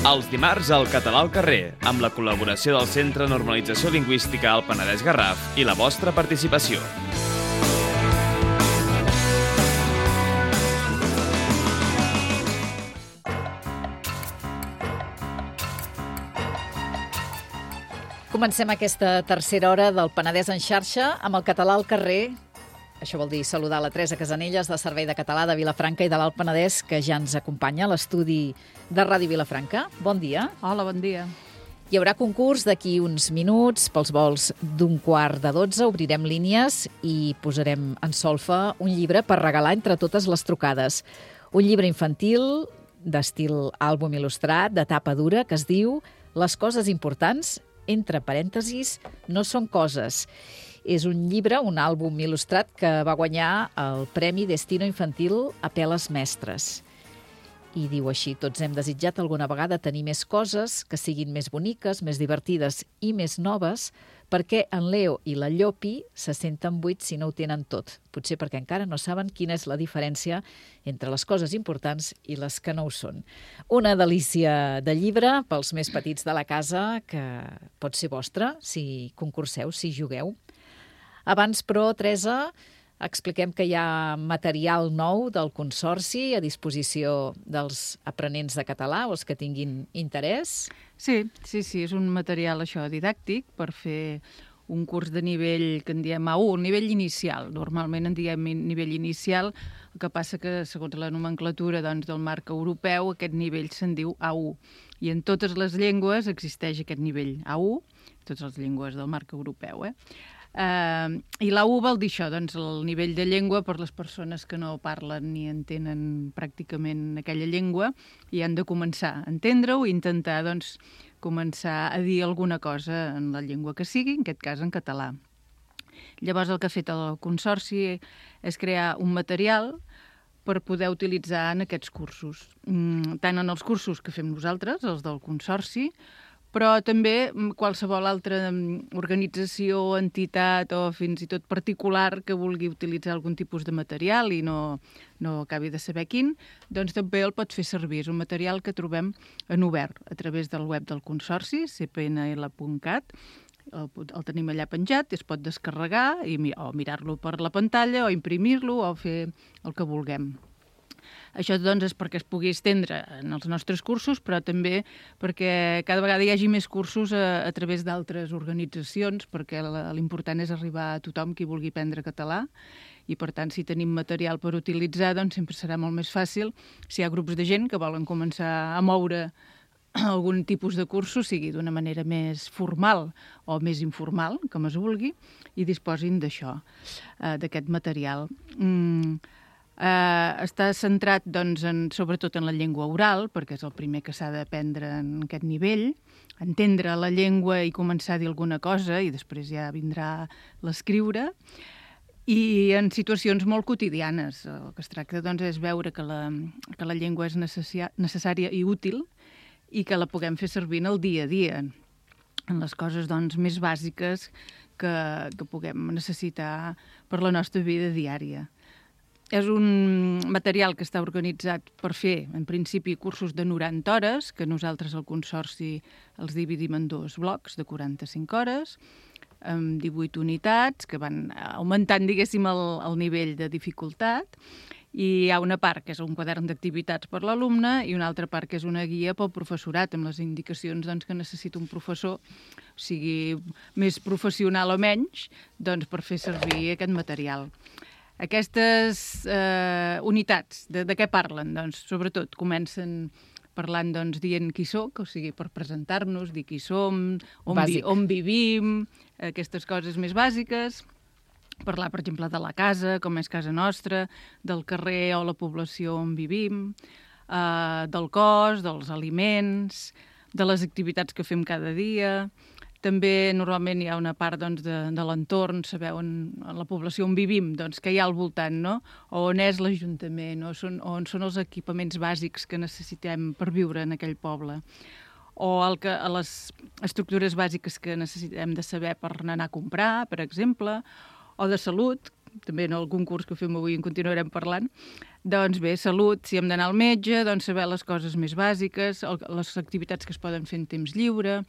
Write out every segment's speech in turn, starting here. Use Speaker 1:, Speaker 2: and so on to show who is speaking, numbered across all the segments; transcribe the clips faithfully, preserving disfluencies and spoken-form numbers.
Speaker 1: Els dimarts al Català al carrer, amb la col·laboració del Centre de Normalització Lingüística al Penedès Garraf i la vostra participació.
Speaker 2: Comencem aquesta tercera hora del Penedès en xarxa amb el Català al carrer. Això vol dir saludar la Teresa Casanelles, de Servei de Català de Vilafranca i de l'Alt Penedès, que ja ens acompanya a l'estudi de Ràdio Vilafranca. Bon dia.
Speaker 3: Hola, bon dia.
Speaker 2: Hi haurà concurs d'aquí uns minuts. Pels vols d'un quart de dotze obrirem línies i posarem en solfa un llibre per regalar entre totes les trucades. Un llibre infantil d'estil àlbum il·lustrat, de tapa dura, que es diu Les coses importants, entre parèntesis, no són coses. És un llibre, un àlbum il·lustrat que va guanyar el Premi Destino Infantil a Peles Mestres. I diu així: tots hem desitjat alguna vegada tenir més coses que siguin més boniques, més divertides i més noves, perquè en Leo i la Llopi se senten buits si no ho tenen tot. Potser perquè encara no saben quina és la diferència entre les coses importants i les que no ho són. Una delícia de llibre pels més petits de la casa, que pot ser vostre si concurseu, si jugueu. Abans, però, Teresa, expliquem que hi ha material nou del Consorci a disposició dels aprenents de català o els que tinguin interès.
Speaker 3: Sí, sí, sí, és un material això didàctic per fer un curs de nivell que en diem A u, un nivell inicial. Normalment en diem nivell inicial, el que passa que, segons la nomenclatura doncs, del marc europeu, aquest nivell se'n diu A u. I en totes les llengües existeix aquest nivell A u, totes les llengües del marc europeu, eh? Uh, I l'A u vol dir això, doncs el nivell de llengua per les persones que no parlen ni entenen pràcticament aquella llengua i han de començar a entendre-ho i intentar doncs, començar a dir alguna cosa en la llengua que sigui, en aquest cas en català. Llavors el que ha fet el Consorci és crear un material per poder utilitzar en aquests cursos, mm, tant en els cursos que fem nosaltres, els del Consorci, però també qualsevol altra organització, entitat o fins i tot particular que vulgui utilitzar algun tipus de material i no, no acabi de saber quin, doncs també el pot fer servir. És un material que trobem en obert a través del web del Consorci, c p n l punt cat, el, el tenim allà penjat, es pot descarregar i, o mirar-lo per la pantalla o imprimir-lo o fer el que vulguem. Això doncs, és perquè es pugui estendre en els nostres cursos, però també perquè cada vegada hi hagi més cursos a, a través d'altres organitzacions, perquè l'important és arribar a tothom qui vulgui aprendre català i, per tant, si tenim material per utilitzar, doncs sempre serà molt més fàcil si hi ha grups de gent que volen començar a moure algun tipus de cursos, sigui d'una manera més formal o més informal, com es vulgui, i disposin d'això, d'aquest material. Mm. Uh, està centrat doncs, en, sobretot en la llengua oral, perquè és el primer que s'ha d'aprendre en aquest nivell, entendre la llengua i començar a dir alguna cosa, i després ja vindrà l'escriure, i en situacions molt quotidianes. El que es tracta doncs, és veure que la, que la llengua és necessària i útil i que la puguem fer servir en el dia a dia, en les coses doncs, més bàsiques que, que puguem necessitar per la nostra vida diària. És un material que està organitzat per fer, en principi, cursos de noranta hores, que nosaltres al Consorci els dividim en dos blocs de quaranta-cinc hores, amb divuit unitats, que van augmentant, diguéssim, el, el nivell de dificultat, i hi ha una part que és un quadern d'activitats per l'alumne i una altra part que és una guia pel professorat, amb les indicacions doncs, que necessita un professor, sigui més professional o menys, doncs, per fer servir aquest material. Aquestes eh, unitats, de, de què parlen? Doncs, sobretot, comencen parlant, doncs, dient qui soc, o sigui, per presentar-nos, dir qui som, on, vi, on vivim, aquestes coses més bàsiques. Parlar, per exemple, de la casa, com és casa nostra, del carrer o la població on vivim, eh, del cos, dels aliments, de les activitats que fem cada dia. També normalment hi ha una part doncs, de, de l'entorn, sabeu, en, en la població on vivim, doncs, que hi ha al voltant, no? O on és l'Ajuntament, o són, on són els equipaments bàsics que necessitem per viure en aquell poble. O el que, a les estructures bàsiques que necessitem de saber per anar a comprar, per exemple, o de salut, també en algun curs que fem avui en continuarem parlant, Doncs bé, salut, si hem d'anar al metge, doncs saber les coses més bàsiques, les activitats que es poden fer en temps lliure.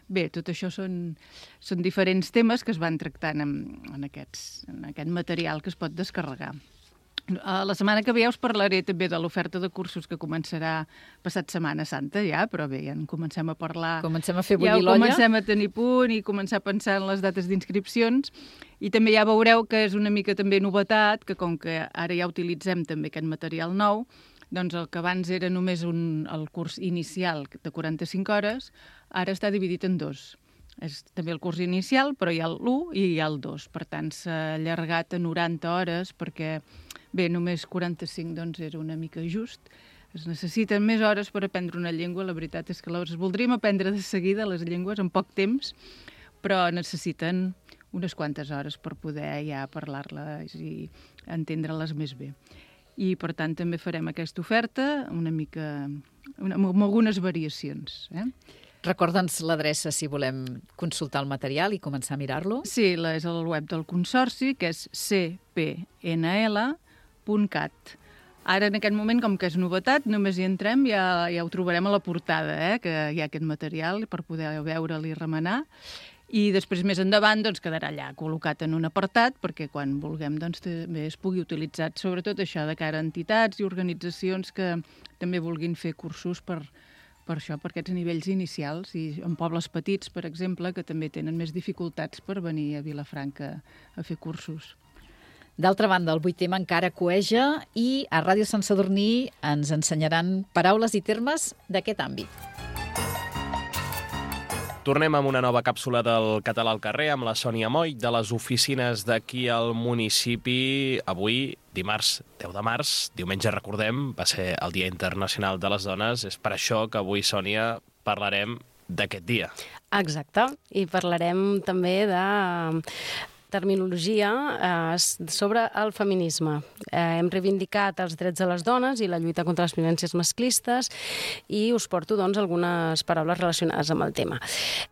Speaker 3: Bé, tot això són, són diferents temes que es van tractant en, en, aquests, en aquest material que es pot descarregar. La setmana que ve us parlaré també de l'oferta de cursos que començarà passat Setmana Santa ja, però bé, ja en comencem a parlar.
Speaker 2: Comencem a fer bullir
Speaker 3: ja
Speaker 2: l'olla.
Speaker 3: Ja comencem a tenir punt i començar a pensar en les dates d'inscripcions. I també ja veureu que és una mica també novetat, que com que ara ja utilitzem també aquest material nou, doncs el que abans era només un, el curs inicial de quaranta-cinc hores, ara està dividit en dos. És també el curs inicial, però hi ha l'u i hi ha el dos. Per tant, s'ha allargat a noranta hores perquè, bé, només quaranta-cinc doncs era una mica just. Es necessiten més hores per aprendre una llengua. La veritat és que les voldríem aprendre de seguida, les llengües, en poc temps, però necessiten unes quantes hores per poder ja parlar-les i entendre-les més bé. I, per tant, també farem aquesta oferta una mica, una, amb algunes variacions, eh?
Speaker 2: Recorda'ns l'adreça si volem consultar el material i començar a mirar-lo.
Speaker 3: Sí, la, és el web del Consorci, que és c p n l punt cat. Ara, en aquest moment, com que és novetat, només hi entrem, ja, ja ho trobarem a la portada, eh, que hi ha aquest material per poder veure'l i remenar. I després, més endavant, doncs, quedarà allà col·locat en un apartat perquè quan vulguem doncs, també es pugui utilitzar, sobretot això de cara a entitats i organitzacions que també vulguin fer cursos per, per això, per aquests nivells inicials, i en pobles petits, per exemple, que també tenen més dificultats per venir a Vilafranca a fer cursos.
Speaker 2: D'altra banda, el vuit tema encara coeja i a Ràdio Sant Sadurní ens ensenyaran paraules i termes d'aquest àmbit.
Speaker 4: Tornem amb una nova càpsula del Català al carrer amb la Sònia Moll de les oficines d'aquí al municipi. Avui, dimarts deu de març, diumenge recordem, va ser el Dia Internacional de les Dones. És per això que avui, Sònia, parlarem d'aquest dia.
Speaker 5: Exacte, i parlarem també de terminologia eh, sobre el feminisme. Eh, hem reivindicat els drets de les dones i la lluita contra les violències masclistes i us porto doncs, algunes paraules relacionades amb el tema.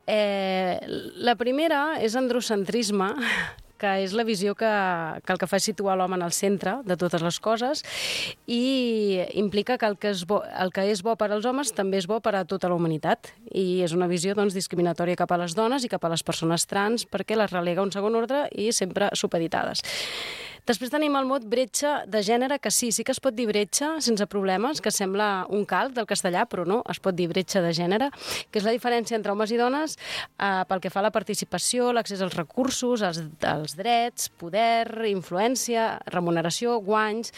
Speaker 5: Eh, la primera és androcentrisme, que és la visió que, que el que fa és situar l'home en el centre de totes les coses i implica que el que, és bo, el que és bo per als homes també és bo per a tota la humanitat. I és una visió doncs, discriminatòria cap a les dones i cap a les persones trans perquè les relega a un segon ordre i sempre supeditades. Després tenim el mot bretxa de gènere, que sí, sí que es pot dir bretxa sense problemes, que sembla un calc del castellà, però no, es pot dir bretxa de gènere, que és la diferència entre homes i dones eh, pel que fa a la participació, l'accés als recursos, als, als drets, poder, influència, remuneració, guanys.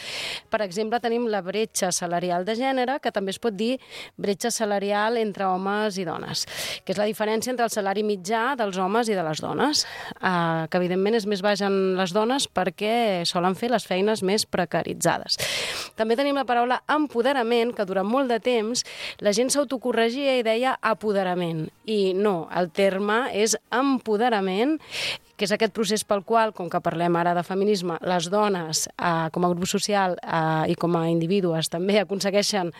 Speaker 5: Per exemple, tenim la bretxa salarial de gènere, que també es pot dir bretxa salarial entre homes i dones, que és la diferència entre el salari mitjà dels homes i de les dones, eh, que evidentment és més baix en les dones perquè solen fer les feines més precaritzades. També tenim la paraula empoderament, que durant molt de temps la gent s'autocorregia i deia apoderament. I no, el terme és empoderament, que és aquest procés pel qual, com que parlem ara de feminisme, les dones, eh, com a grup social eh, i com a individus, també aconsegueixen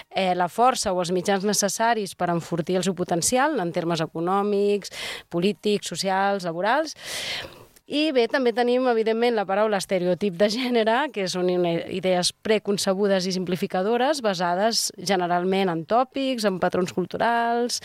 Speaker 5: eh, la força o els mitjans necessaris per enfortir el seu potencial en termes econòmics, polítics, socials, laborals. I bé, també tenim, evidentment, la paraula estereotip de gènere, que són idees preconcebudes i simplificadores, basades generalment en tòpics, en patrons culturals,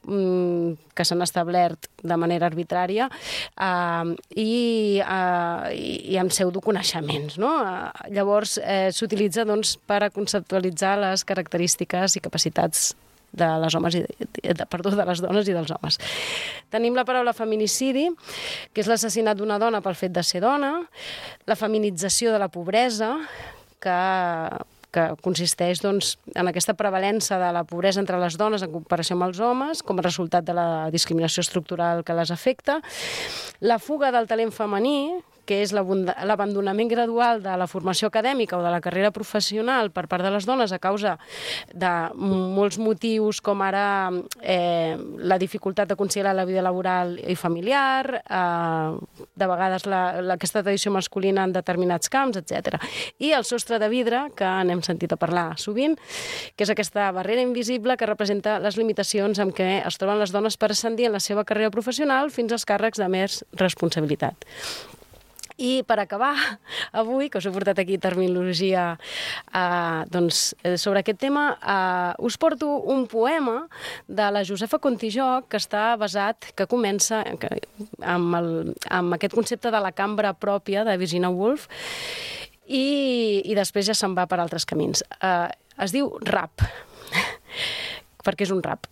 Speaker 5: que s'han establert de manera arbitrària eh, i, eh, i amb pseudoconeixements. No? Eh, llavors, eh, s'utilitza doncs, per a conceptualitzar les característiques i capacitats de les homes i de, perdó, de les dones i dels homes. Tenim la paraula feminicidi, que és l'assassinat d'una dona pel fet de ser dona, la feminització de la pobresa, que que consisteix doncs, en aquesta prevalença de la pobresa entre les dones en comparació amb els homes, com a resultat de la discriminació estructural que les afecta, la fuga del talent femení, que és l'abandonament gradual de la formació acadèmica o de la carrera professional per part de les dones a causa de molts motius, com ara eh, la dificultat de conciliar la vida laboral i familiar, eh, de vegades la, la, aquesta tradició masculina en determinats camps, etcètera. I el sostre de vidre, que n'hem sentit a parlar sovint, que és aquesta barrera invisible que representa les limitacions amb què es troben les dones per ascendir en la seva carrera professional fins als càrrecs de més responsabilitat. I per acabar, avui, que us he portat aquí terminologia eh, doncs, sobre aquest tema, eh, us porto un poema de la Josefa Contijoch que està basat, que comença que, amb, el, amb aquest concepte de la cambra pròpia de Virginia Woolf i, i després ja se'n va per altres camins. Eh, es diu rap, perquè és un rap.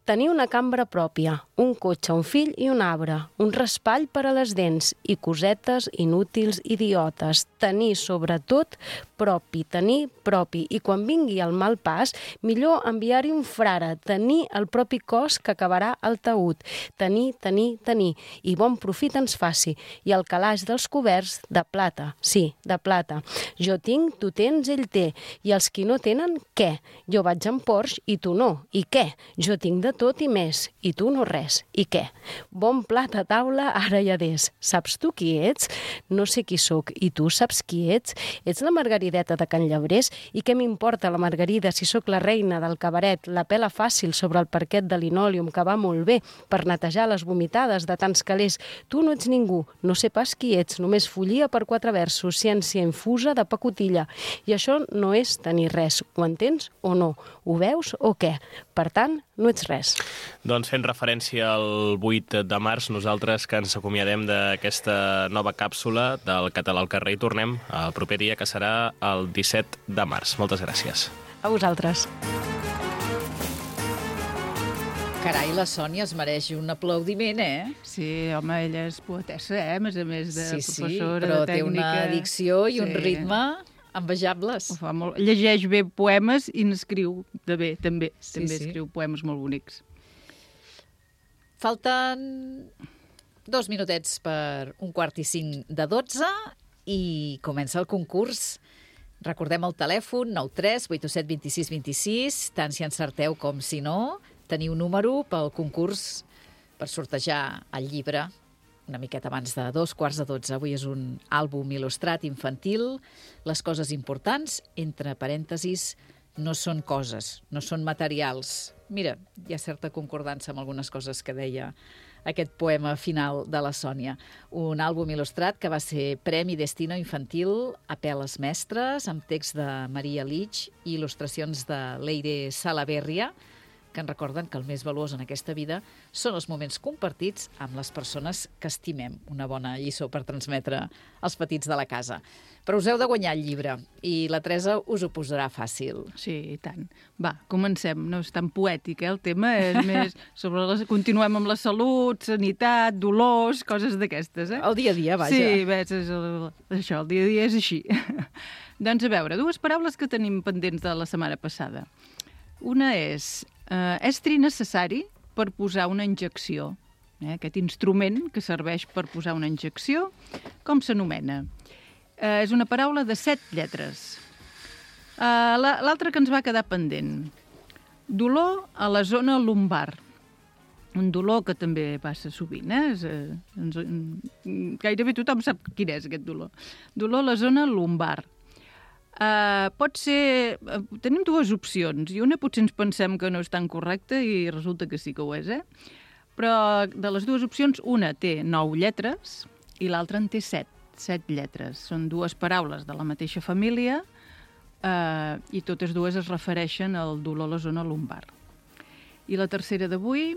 Speaker 5: Tenir una cambra pròpia, un cotxe, un fill i un arbre, un raspall per a les dents i cosetes inútils idiotes. Tenir, sobretot, propi, tenir propi. I quan vingui el mal pas, millor enviar-hi un frare, tenir el propi cos que acabarà al taüt. Tenir, tenir, tenir. I bon profit ens faci. I el calaix dels coberts de plata, sí, de plata. Jo tinc, tu tens, ell té. I els qui no tenen, què? Jo vaig en Porsche i tu no. I què? Jo tinc de tot i més, i tu no res. I què? Bon plat a taula, ara hi adés. Saps tu qui ets? No sé qui sóc. I tu saps qui ets? Ets la Margarideta de Can Llebrés? I què m'importa la Margarida si sóc la reina del cabaret, la pela fàcil sobre el parquet de linòleum que va molt bé per netejar les vomitades de tants calés? Tu no ets ningú, no sé pas qui ets, només follia per quatre versos, ciència infusa de pacotilla. I això no és tenir res. Ho entens o no? Ho veus o què? Per tant, no ets res.
Speaker 4: Doncs fent referència al vuit de març, nosaltres que ens acomiadem d'aquesta nova càpsula del Català al carrer i tornem el proper dia, que serà el disset de març. Moltes gràcies.
Speaker 5: A vosaltres.
Speaker 2: Carai, la Sònia es mereix un aplaudiment, eh?
Speaker 3: Sí, home, ella és poetessa, eh? A més a més de
Speaker 2: sí, sí,
Speaker 3: professora
Speaker 2: però
Speaker 3: de tècnica.
Speaker 2: té una dicció i
Speaker 3: sí.
Speaker 2: un ritme envejables.
Speaker 3: Ho fa molt. Llegeix bé poemes i n'escriu de bé, també.
Speaker 2: Sí,
Speaker 3: també
Speaker 2: sí.
Speaker 3: escriu poemes molt bonics.
Speaker 2: Falten dos minutets per un quart i cinc de dotze i comença el concurs. Recordem el telèfon nou tres vuit set dos sis dos sis, tant si encerteu com si no. Teniu número pel concurs per sortejar el llibre una miqueta abans de dos quarts de dotze. Avui és un àlbum il·lustrat infantil. Les coses importants, entre parèntesis, no són coses, no són materials. Mira, hi ha certa concordança amb algunes coses que deia aquest poema final de la Sònia. Un àlbum il·lustrat que va ser Premi Destino Infantil a Peles Mestres, amb text de Maria Lich i il·lustracions de Leire Salaverria, que ens recorden que el més valuós en aquesta vida són els moments compartits amb les persones que estimem. Una bona lliçó per transmetre als petits de la casa. Però us heu de guanyar el llibre i la Teresa us ho posarà fàcil.
Speaker 3: Sí, i tant. Va, comencem. No és tan poètic, eh? El tema és més sobre les... Continuem amb la salut, sanitat, dolors, coses d'aquestes, eh?
Speaker 2: El dia a dia, vaja.
Speaker 3: Sí, ves, és el... això, el dia a dia és així. Doncs a veure, dues paraules que tenim pendents de la setmana passada. Una és eh, estri necessari per posar una injecció. Eh, aquest instrument que serveix per posar una injecció, com s'anomena? Eh, és una paraula de set lletres. Eh, L'altra que ens va quedar pendent. Dolor a la zona lumbar. Un dolor que també passa sovint, eh? És, eh ens, gairebé tothom sap quin és aquest dolor. Dolor a la zona lumbar. Uh, pot ser... Uh, tenim dues opcions, i una potser ens pensem que no és tan correcta i resulta que sí que ho és, eh? Però de les dues opcions, una té nou lletres i l'altra en té set, set lletres. Són dues paraules de la mateixa família uh, i totes dues es refereixen al dolor a la zona lumbar. I la tercera d'avui,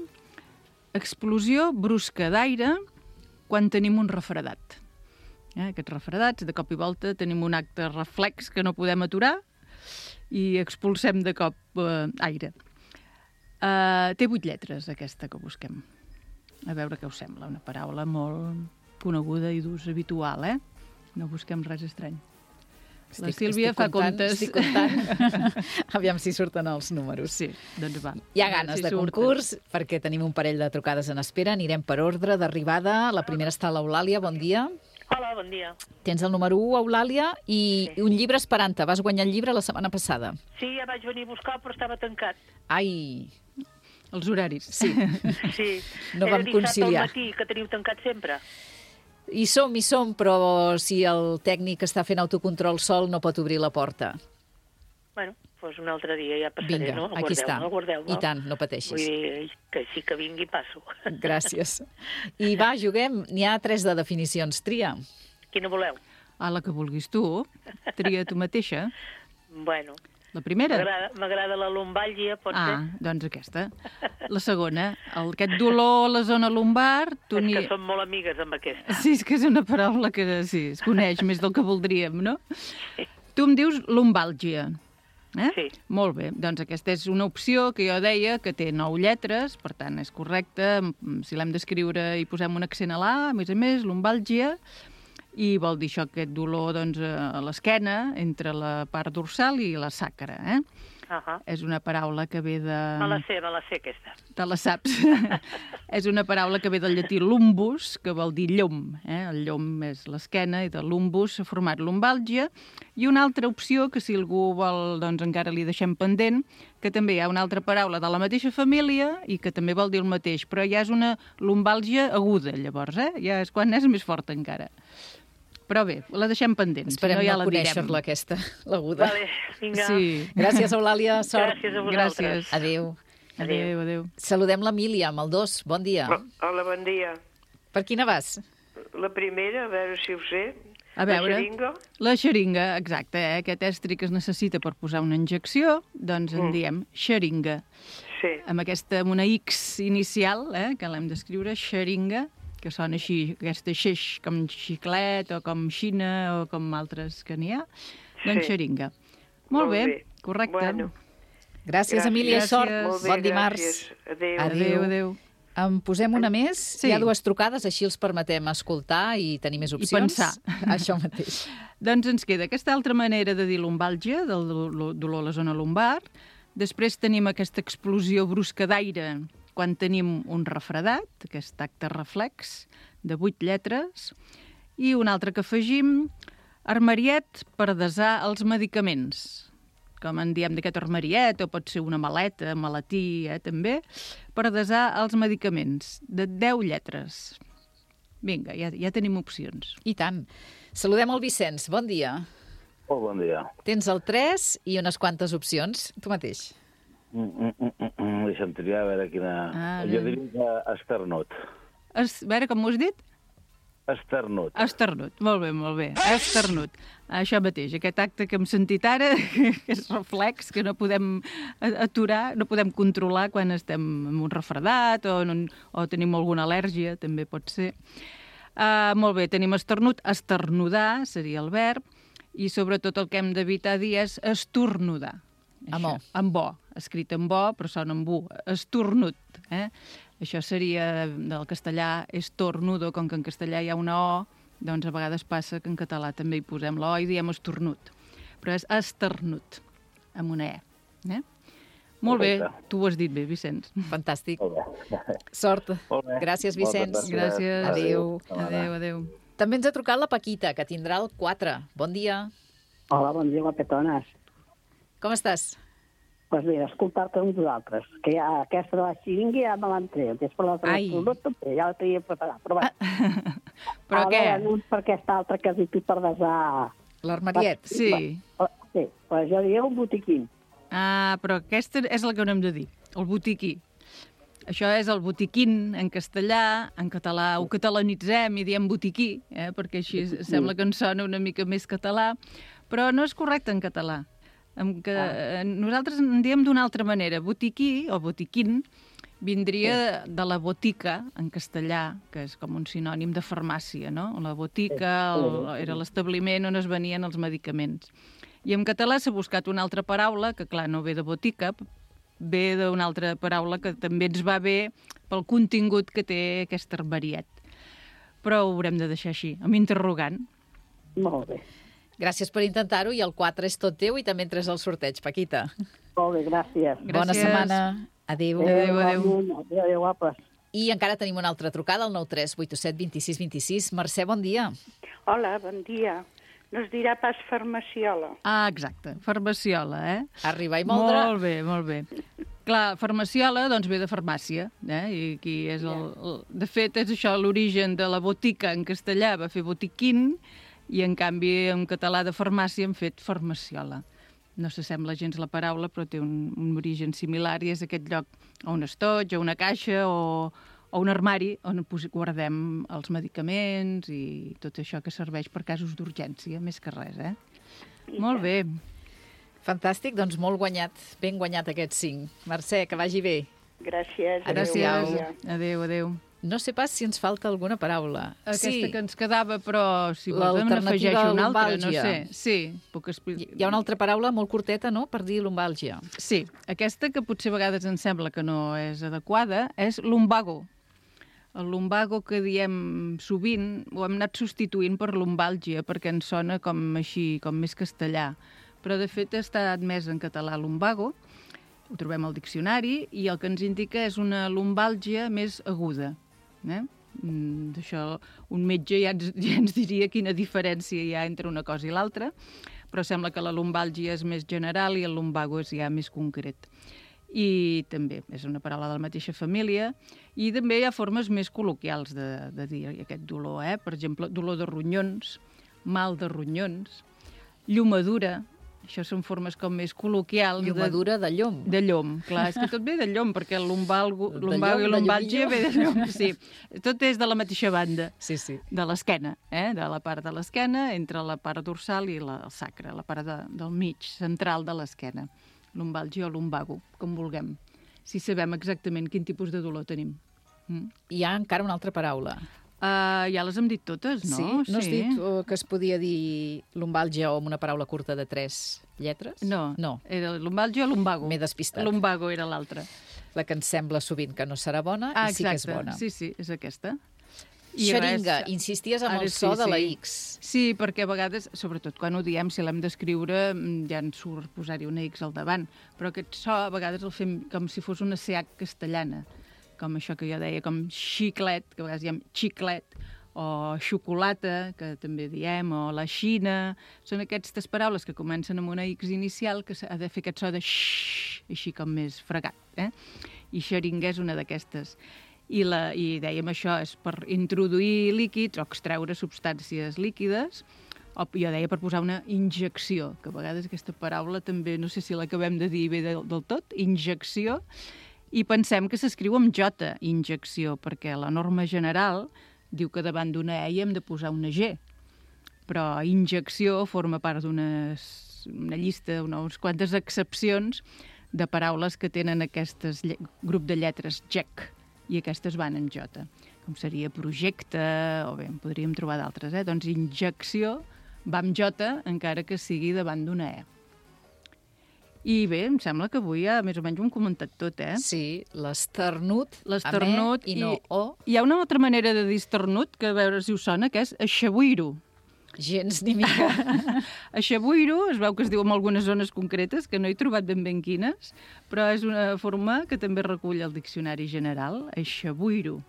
Speaker 3: explosió brusca d'aire quan tenim un refredat. Eh, aquests refredats, de cop i volta tenim un acte reflex que no podem aturar i expulsem de cop eh, aire. Eh, té vuit lletres, aquesta que busquem. A veure què us sembla, una paraula molt coneguda i d'ús habitual, eh? No busquem res estrany.
Speaker 2: Estic,
Speaker 3: la Sílvia fa
Speaker 2: comptant,
Speaker 3: comptes.
Speaker 2: Estic comptant. Aviam si surten els números.
Speaker 3: Sí, doncs va.
Speaker 2: Hi ha ganes si de surten. Concurs, perquè tenim un parell de trucades en espera. Anirem per ordre d'arribada. La primera està l'Eulàlia, bon dia.
Speaker 6: Hola, bon dia.
Speaker 2: Tens el número u, Eulàlia, i sí. un llibre esperant-te. Vas guanyar el llibre la setmana passada.
Speaker 6: Sí, ja vaig venir a buscar, però estava tancat.
Speaker 2: Ai...
Speaker 3: Els horaris.
Speaker 2: Sí.
Speaker 6: Sí.
Speaker 2: No vam conciliar.
Speaker 6: Era dissabte al matí, que teniu tancat sempre.
Speaker 2: Hi som, hi som, però si el tècnic està fent autocontrol sol no pot obrir la porta.
Speaker 6: Bueno, doncs un altre dia ja passaré,
Speaker 2: Vinga,
Speaker 6: no?
Speaker 2: Vinga, aquí està.
Speaker 6: Guardeu, no?
Speaker 2: I tant, no pateixis.
Speaker 6: Vull dir que sí que vingui passo.
Speaker 2: Gràcies. I va, juguem. N'hi ha tres de definicions. Tria.
Speaker 6: Quina voleu?
Speaker 3: Ah, la que vulguis tu. Tria tu mateixa.
Speaker 6: Bueno,
Speaker 3: La primera?
Speaker 6: m'agrada m'agrada la lumbàlgia, pot
Speaker 3: Ah,
Speaker 6: ser?
Speaker 3: doncs aquesta. La segona, el, aquest dolor a la zona lumbar... Tu
Speaker 6: És
Speaker 3: ni...
Speaker 6: que som molt amigues amb aquesta.
Speaker 3: Sí, és que és una paraula que sí, es coneix més del que voldríem, no? Tu em dius lumbàlgia. Eh?
Speaker 6: Sí.
Speaker 3: Molt bé, doncs aquesta és una opció que jo deia que té nou lletres, per tant és correcte. Si l'hem d'escriure i posem un accent a l'A, a més a més, lumbàlgia, i vol dir això, aquest dolor doncs, a l'esquena, entre la part dorsal i la sacra. Eh?
Speaker 6: Uh -huh.
Speaker 3: És una paraula que ve de...
Speaker 6: Me la sé, me la sé, aquesta.
Speaker 3: Te la saps. És una paraula que ve del llatí lumbus, que vol dir llom. Eh? El llom és l'esquena i de lumbus s'ha format lumbàlgia. I una altra opció, que si algú vol, doncs encara li deixem pendent, que també hi ha una altra paraula de la mateixa família i que també vol dir el mateix, però ja és una lumbàlgia aguda, llavors, eh? Ja és quan és més forta encara. Però bé, la deixem pendent.
Speaker 2: Esperem
Speaker 3: si no, ja
Speaker 2: no
Speaker 3: la direm.
Speaker 2: conèixer-la, aquesta, l'aguda.
Speaker 6: Vale, vinga.
Speaker 3: Sí.
Speaker 2: Gràcies, Eulàlia. Sort.
Speaker 6: Gràcies a vosaltres.
Speaker 3: Gràcies.
Speaker 2: Adéu.
Speaker 3: Adéu, adéu.
Speaker 2: Saludem l'Emília amb el dos. Bon dia.
Speaker 7: Hola, bon dia.
Speaker 2: Per quina vas?
Speaker 7: La primera, a veure si ho sé.
Speaker 3: A veure,
Speaker 7: La xeringa.
Speaker 3: la xeringa, exacte, eh? Aquest estri que es necessita per posar una injecció, doncs en
Speaker 7: Mm.
Speaker 3: diem xeringa.
Speaker 7: Sí,
Speaker 3: Amb aquesta, amb una X inicial, eh? Que l'hem d'escriure, xeringa, que sona així, aquesta xeix, com xiclet, o com xina, o com altres que n'hi ha. Doncs
Speaker 7: Sí.
Speaker 3: xeringa. Molt,
Speaker 7: Molt
Speaker 3: bé,
Speaker 7: bé.
Speaker 3: correcte.
Speaker 7: Bueno.
Speaker 2: Gràcies,
Speaker 7: Gràcies.
Speaker 2: Emília. Sort.
Speaker 7: molt bé,
Speaker 2: Bon dimarts.
Speaker 7: gràcies. Adéu.
Speaker 3: Adéu, adéu.
Speaker 2: En posem una més?
Speaker 3: Sí.
Speaker 2: Hi ha dues trucades, així els permetem escoltar i tenir més opcions.
Speaker 3: pensar.
Speaker 2: Això mateix.
Speaker 3: Doncs ens queda aquesta altra manera de dir lumbàlgia, del do- dolor a la zona lumbar. Després tenim aquesta explosió brusca d'aire quan tenim un refredat, aquest acte reflex, de vuit lletres. I un altre que afegim, armariet per desar els medicaments. Com en diem d'aquest armariet, o pot ser una maleta, maletí, eh, també, per desar els medicaments, de deu lletres. Vinga, ja, ja tenim opcions.
Speaker 2: I tant. Saludem el Vicenç. Bon dia.
Speaker 8: Molt bon dia.
Speaker 2: Tens el tres i unes quantes opcions. Tu mateix.
Speaker 8: Mm, mm, mm, mm, mm. Deixa'm triar a veure quina...
Speaker 3: Ah,
Speaker 8: jo
Speaker 3: bé.
Speaker 8: diria que esternut.
Speaker 3: Es, a veure, com m'ho has dit?
Speaker 8: Esternut.
Speaker 3: Esternut, molt bé, molt bé. Esternut. Això mateix, aquest acte que hem sentit ara, que és reflex, que no podem aturar, no podem controlar quan estem amb un refredat o, en un, o tenim alguna al·lèrgia, també pot ser. Uh, molt bé, tenim esternut. Esternudar seria el verb, i sobretot el que hem d'evitar dir és estornudar.
Speaker 2: Amb o.
Speaker 3: Amb o, escrit amb o, però sona amb u. Estornut, eh? Això seria del castellà estornudo, com que en castellà hi ha una o, doncs a vegades passa que en català també hi posem la o i diem estornut. Però és esternut, amb una e. Eh? Molt bé,
Speaker 8: Correcte.
Speaker 3: tu ho has dit bé, Vicenç.
Speaker 2: Fantàstic.
Speaker 8: Molt bé.
Speaker 2: Sort.
Speaker 8: Molt bé.
Speaker 2: Gràcies,
Speaker 8: Moltes
Speaker 2: Vicenç.
Speaker 3: Gràcies.
Speaker 2: Adéu.
Speaker 3: Adéu, adéu.
Speaker 2: També ens ha trucat la Paquita, que tindrà el quatre. Bon dia.
Speaker 9: Hola, bon dia, guapetones.
Speaker 2: Com estàs?
Speaker 9: Doncs mira, escoltar-te amb vosaltres, que ja aquesta de la xiringa ja me l'han tret, després la
Speaker 2: Ai.
Speaker 9: també, ja la tenia preparada, però va.
Speaker 3: Però
Speaker 9: a
Speaker 3: què?
Speaker 9: veure, no per aquesta altra que has dit tu per desar...
Speaker 2: L'armariet.
Speaker 3: Sí.
Speaker 9: Sí, però jo diria un botiquín.
Speaker 3: Ah, però aquesta és la que no hem de dir, el botiquí. Això és el botiquín en castellà, en català ho catalanitzem i diem botiquí, eh? Perquè així sembla que ens sona una mica més català, però no és correcte en català. En que, ah. Nosaltres en diem d'una altra manera. Botiquí o botiquín vindria de la botica, en castellà, que és com un sinònim de farmàcia, no? La botica el, era l'establiment on es venien els medicaments. I en català s'ha buscat una altra paraula, que clar, no ve de botica, ve d'una altra paraula que també ens va bé pel contingut que té aquest armariet. Però ho haurem de deixar així, amb interrogant.
Speaker 9: Molt bé.
Speaker 2: Gràcies per intentar-ho i el quatre és tot teu i també entres al sorteig, Paquita.
Speaker 9: Molt bé, gràcies.
Speaker 2: Bona
Speaker 3: Gràcies.
Speaker 2: setmana. Adéu.
Speaker 3: Adéu, adéu.
Speaker 9: Adéu, adéu, guapes.
Speaker 2: I encara tenim una altra trucada, al nou tres vuit set dos sis dos sis. Mercè, bon dia.
Speaker 10: Hola, bon dia. No es dirà pas farmaciola.
Speaker 3: Ah, exacte, farmaciola, eh?
Speaker 2: Arribar i moldre.
Speaker 3: Molt bé, molt bé. Clar, farmaciola, doncs ve de farmàcia, eh? I aquí és el, el... De fet, és això, l'origen de la botica en castellà va fer botiquín i, en canvi, en català de farmàcia hem fet farmaciola. No s'assembla gens la paraula, però té un, un origen similar i és aquest lloc, o un estoig, o una caixa, o, o un armari on guardem els medicaments i tot això que serveix per casos d'urgència, més que res, eh? Molt bé.
Speaker 2: Fantàstic, doncs molt guanyat, ben guanyat aquests cinc. Mercè, que vagi bé.
Speaker 10: Gràcies.
Speaker 3: Gràcies. Adéu, adéu.
Speaker 2: No sé pas si ens falta alguna paraula.
Speaker 3: Aquesta
Speaker 2: sí.
Speaker 3: que ens quedava, però si vols n'afegeixo una altra, no sé. Sí, puc explicar.
Speaker 2: Hi ha una altra paraula molt curteta, no?, per dir lumbàlgia.
Speaker 3: Sí, aquesta que potser a vegades ens sembla que no és adequada és lumbago. El lumbago que diem sovint ho hem anat substituint per lumbàlgia perquè ens sona com així, com més castellà. Però de fet està admès en català lumbago, ho trobem al diccionari, i el que ens indica és una lumbàlgia més aguda. Eh? Mm, d'això un metge ja ens, ja ens diria quina diferència hi ha entre una cosa i l'altra, però sembla que la lumbàlgia és més general i el lumbago és ja més concret. I també és una paraula de la mateixa família, i també hi ha formes més col·loquials de, de dir aquest dolor. Eh? Per exemple, dolor de ronyons, mal de ronyons, llomadura. Això són formes com més col·loquials.
Speaker 2: Llomadura de, de llom.
Speaker 3: De llom, clar. És que tot ve de llom, perquè el lumbalgo, lumbago i lumbàlgia ve de llom. Sí. Tot és de la mateixa banda.
Speaker 2: Sí, sí.
Speaker 3: De l'esquena, eh? De la part de l'esquena, entre la part dorsal i la, el sacre, la part de, del mig, central de l'esquena. Lumbàlgia o lumbago, com vulguem. Si sabem exactament quin tipus de dolor tenim.
Speaker 2: Mm. Hi ha encara una altra paraula.
Speaker 3: Uh, ja les hem dit totes, no?
Speaker 2: Sí? No has dit uh, que es podia dir lumbàlgia o amb una paraula curta de tres lletres?
Speaker 3: No,
Speaker 2: no.
Speaker 3: Era lumbàlgia o lumbago.
Speaker 2: M'he despistat.
Speaker 3: Lumbago era l'altra.
Speaker 2: La que ens sembla sovint que no serà bona
Speaker 3: ah,
Speaker 2: i sí que és bona.
Speaker 3: Sí, sí, és aquesta.
Speaker 2: I xeringa, res... insisties amb el so sí, de la X.
Speaker 3: Sí, perquè a vegades, sobretot quan ho diem, si l'hem d'escriure, ja ens surt posar-hi una X al davant, però aquest so a vegades el fem com si fos una C H castellana, com això que jo deia, com xiclet, que a vegades diem xiclet, o xocolata, que també diem, o la xina. Són aquestes paraules que comencen amb una X inicial que ha de fer aquest so de xxxt, així com més fregat. Eh? I xeringa és una d'aquestes. I, la, I dèiem això, és per introduir líquids o extreure substàncies líquides, o jo deia per posar una injecció, que a vegades aquesta paraula també, no sé si l'acabem de dir bé del, del tot, injecció, i pensem que s'escriu amb J, injecció, perquè la norma general diu que davant d'una E hem de posar una G, però injecció forma part d'una una llista, unes quantes excepcions de paraules que tenen aquest grup de lletres G E C, i aquestes van en J, com seria projecte, o bé, en podríem trobar d'altres, eh? Doncs injecció va amb J, encara que sigui davant d'una E. I bé, em sembla que avui ja més o menys ho hem comentat tot, eh?
Speaker 2: Sí, l'esternut,
Speaker 3: l'esternut
Speaker 2: i no o.
Speaker 3: Hi ha una altra manera de dir esternut, que a veure si us sona, que és aixabuiro.
Speaker 2: Gens ni mica.
Speaker 3: Aixabuiro es veu que es diu en algunes zones concretes, que no he trobat ben ben quines, però és una forma que també recull el diccionari general, aixabuiro.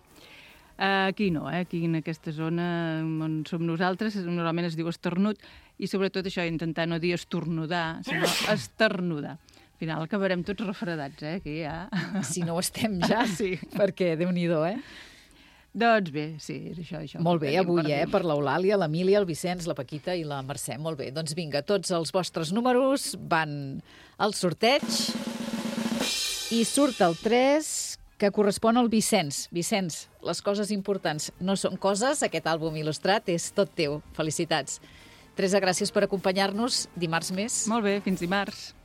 Speaker 3: Aquí no, eh? Aquí en aquesta zona on som nosaltres normalment es diu esternut, i sobretot això, intentar no dir estornudar, sinó esternudar. Al final acabarem tots refredats, eh? Aquí ja...
Speaker 2: Si no ho estem ja,
Speaker 3: sí.
Speaker 2: Perquè Déu-n'hi-do, eh?
Speaker 3: Doncs bé, sí, és això, això.
Speaker 2: Molt bé, avui, per eh? Per l'Eulàlia, l'Emília, el Vicenç, la Paquita i la Mercè. Molt bé, doncs vinga, tots els vostres números van al sorteig i surt el tres, que correspon al Vicenç. Vicenç, les coses importants no són coses, aquest àlbum il·lustrat és tot teu. Felicitats. Teresa, gràcies per acompanyar-nos. Dimarts més.
Speaker 3: Molt bé, fins dimarts.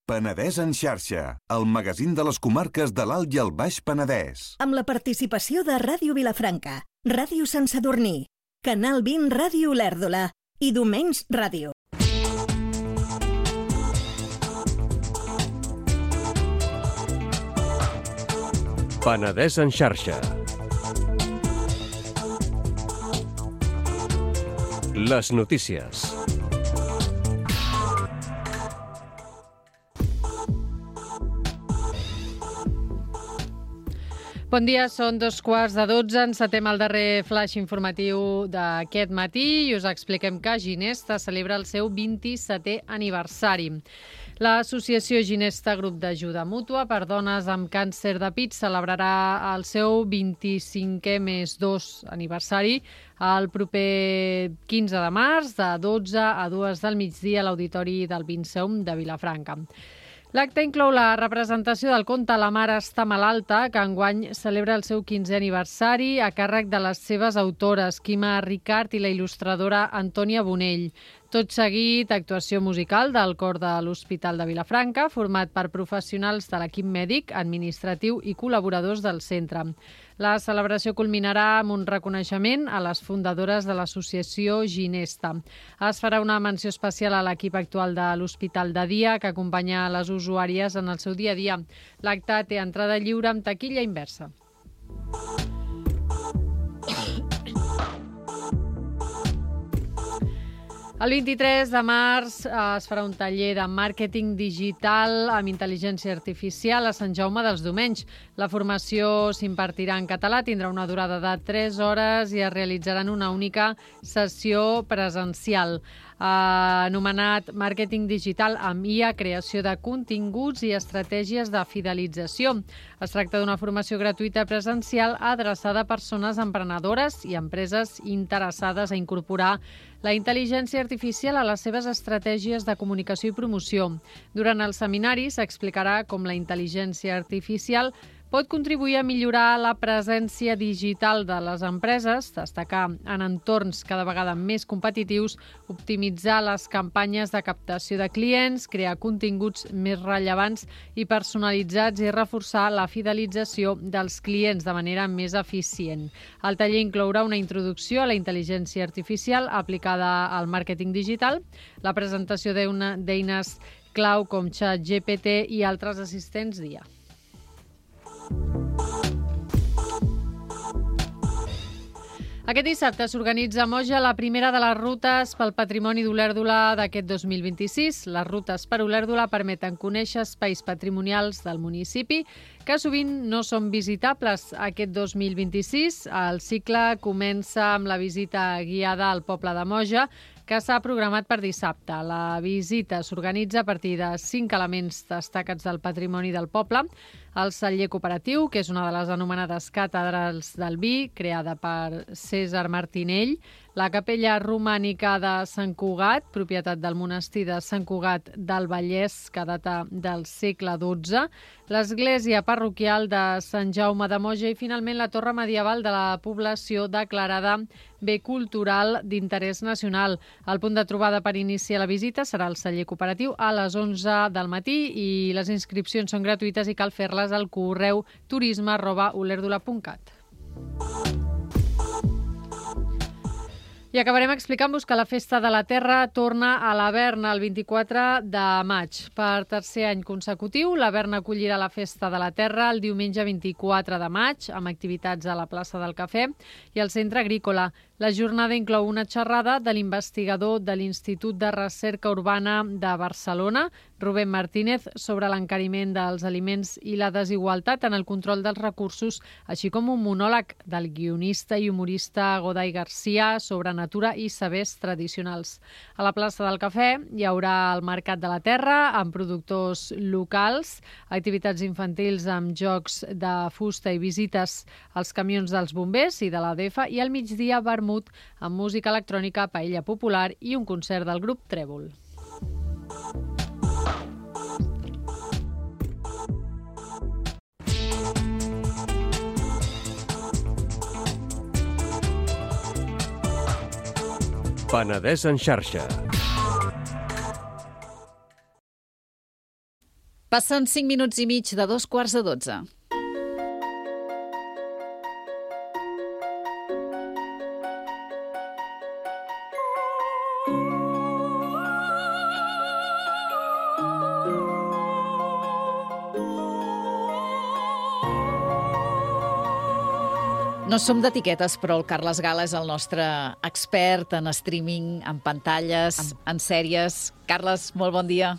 Speaker 11: Penedès en xarxa, el magazín de les comarques de l'Alt i el Baix Penedès.
Speaker 12: Amb la participació de Ràdio Vilafranca, Ràdio Sant Sadurní, Canal vint Ràdio Olèrdola i Domenys Ràdio.
Speaker 13: Penedès en xarxa. Les notícies.
Speaker 14: Bon dia, són dos quarts de dotze. Encetem el darrer flash informatiu d'aquest matí i us expliquem que Ginesta celebra el seu vint-i-setè aniversari. L'Associació Ginesta Grup d'Ajuda Mútua per Dones amb Càncer de Pit celebrarà el seu vint-i-cinquè més dos aniversari el proper quinze de març, de dotze a dues del migdia a l'Auditori del Vinceum de Vilafranca. L'acte inclou la representació del conte La mare està malalta, que enguany celebra el seu quinzè aniversari a càrrec de les seves autores, Quima Ricart i la il·lustradora Antònia Bonell. Tot seguit, actuació musical del cor de l'Hospital de Vilafranca, format per professionals de l'equip mèdic, administratiu i col·laboradors del centre. La celebració culminarà amb un reconeixement a les fundadores de l'associació Ginesta. Es farà una menció especial a l'equip actual de l'Hospital de Dia, que acompanya les usuàries en el seu dia a dia. L'acte té entrada lliure amb taquilla inversa. El vint-i-tres de març es farà un taller de màrqueting digital amb intel·ligència artificial a Sant Jaume dels Domenys. La formació s'impartirà en català, tindrà una durada de tres hores i es realitzarà en una única sessió presencial. Anomenat màrqueting digital amb I A, creació de continguts i estratègies de fidelització. Es tracta d'una formació gratuïta presencial adreçada a persones emprenedores i empreses interessades a incorporar la intel·ligència artificial a les seves estratègies de comunicació i promoció. Durant el seminari s'explicarà com la intel·ligència artificial pot contribuir a millorar la presència digital de les empreses, destacar en entorns cada vegada més competitius, optimitzar les campanyes de captació de clients, crear continguts més rellevants i personalitzats i reforçar la fidelització dels clients de manera més eficient. El taller inclourà una introducció a la intel·ligència artificial aplicada al màrqueting digital, la presentació d'eines clau com ChatGPT i altres assistents d'I A. Aquest dissabte s'organitza a Moja la primera de les rutes pel patrimoni d'Olèrdola d'aquest dos mil vint-i-sis. Les rutes per Olèrdola permeten conèixer espais patrimonials del municipi que sovint no són visitables. Aquest dos mil vint-i-sis el cicle comença amb la visita guiada al poble de Moja, que s'ha programat per dissabte. La visita s'organitza a partir de cinc elements destacats del patrimoni del poble. El celler cooperatiu, que és una de les anomenades càtedrals del vi, creada per César Martinell. La capella romànica de Sant Cugat, propietat del monestir de Sant Cugat del Vallès, que data del segle dotze. L'església parroquial de Sant Jaume de Moja i, finalment, la torre medieval de la població declarada bé cultural d'interès nacional. El punt de trobada per iniciar la visita serà el celler cooperatiu a les onze del matí i les inscripcions són gratuïtes i cal fer-les al correu turisme arroba olèrdola punt cat. I acabarem explicant-vos que la Festa de la Terra torna a l'Avern el vint-i-quatre de maig. Per tercer any consecutiu, l'Avern acollirà la Festa de la Terra el diumenge vint-i-quatre de maig, amb activitats a la plaça del Cafè i al Centre Agrícola. La jornada inclou una xerrada de l'investigador de l'Institut de Recerca Urbana de Barcelona, Rubén Martínez, sobre l'encariment dels aliments i la desigualtat en el control dels recursos, així com un monòleg del guionista i humorista Goday Garcia sobre natura i sabers tradicionals. A la plaça del Cafè hi haurà el Mercat de la Terra amb productors locals, activitats infantils amb jocs de fusta i visites als camions dels bombers i de l'A D F i al migdia vermut amb música electrònica, paella popular i un concert del grup Trèvol.
Speaker 13: Penedès en xarxa.
Speaker 2: Passen cinc minuts i mig de dos quarts de dotze. No som d'etiquetes, però el Carles Gala és el nostre expert en streaming, en pantalles, en sèries. Carles, molt bon dia.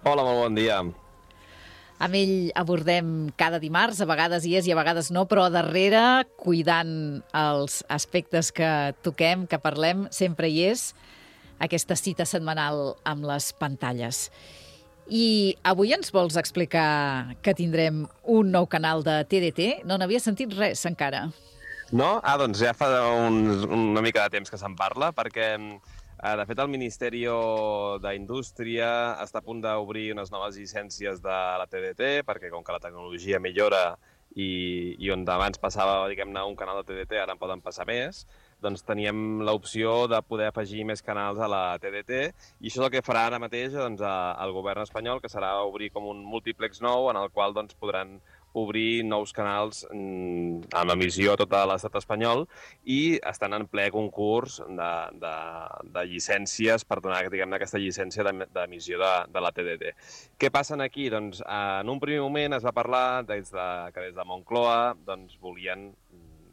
Speaker 15: Hola, molt bon dia.
Speaker 2: Amb ell abordem cada dimarts, a vegades hi és i a vegades no, però a darrere, cuidant els aspectes que toquem, que parlem, sempre hi és aquesta cita setmanal amb les pantalles. I avui ens vols explicar que tindrem un nou canal de T D T? No n'havia sentit res encara.
Speaker 15: No? Ah, doncs ja fa un, una mica de temps que se'n parla, perquè, eh, de fet, el Ministeri d'Indústria està a punt d'obrir unes noves llicències de la T D T, perquè com que la tecnologia millora i, i on abans passava, diguem-ne, un canal de T D T, ara en poden passar més, doncs teníem l'opció de poder afegir més canals a la T D T, i això és el que farà ara mateix doncs, el govern espanyol, que serà obrir com un múltiplex nou, en el qual doncs, podran obrir nous canals amb emissió a tot l'estat espanyol, i estan en ple concurs de, de, de llicències per donar, diguem-ne, aquesta llicència d'emissió de, de la T D T. Què passa aquí? Doncs, en un primer moment es va parlar des de, que des de Moncloa doncs, volien,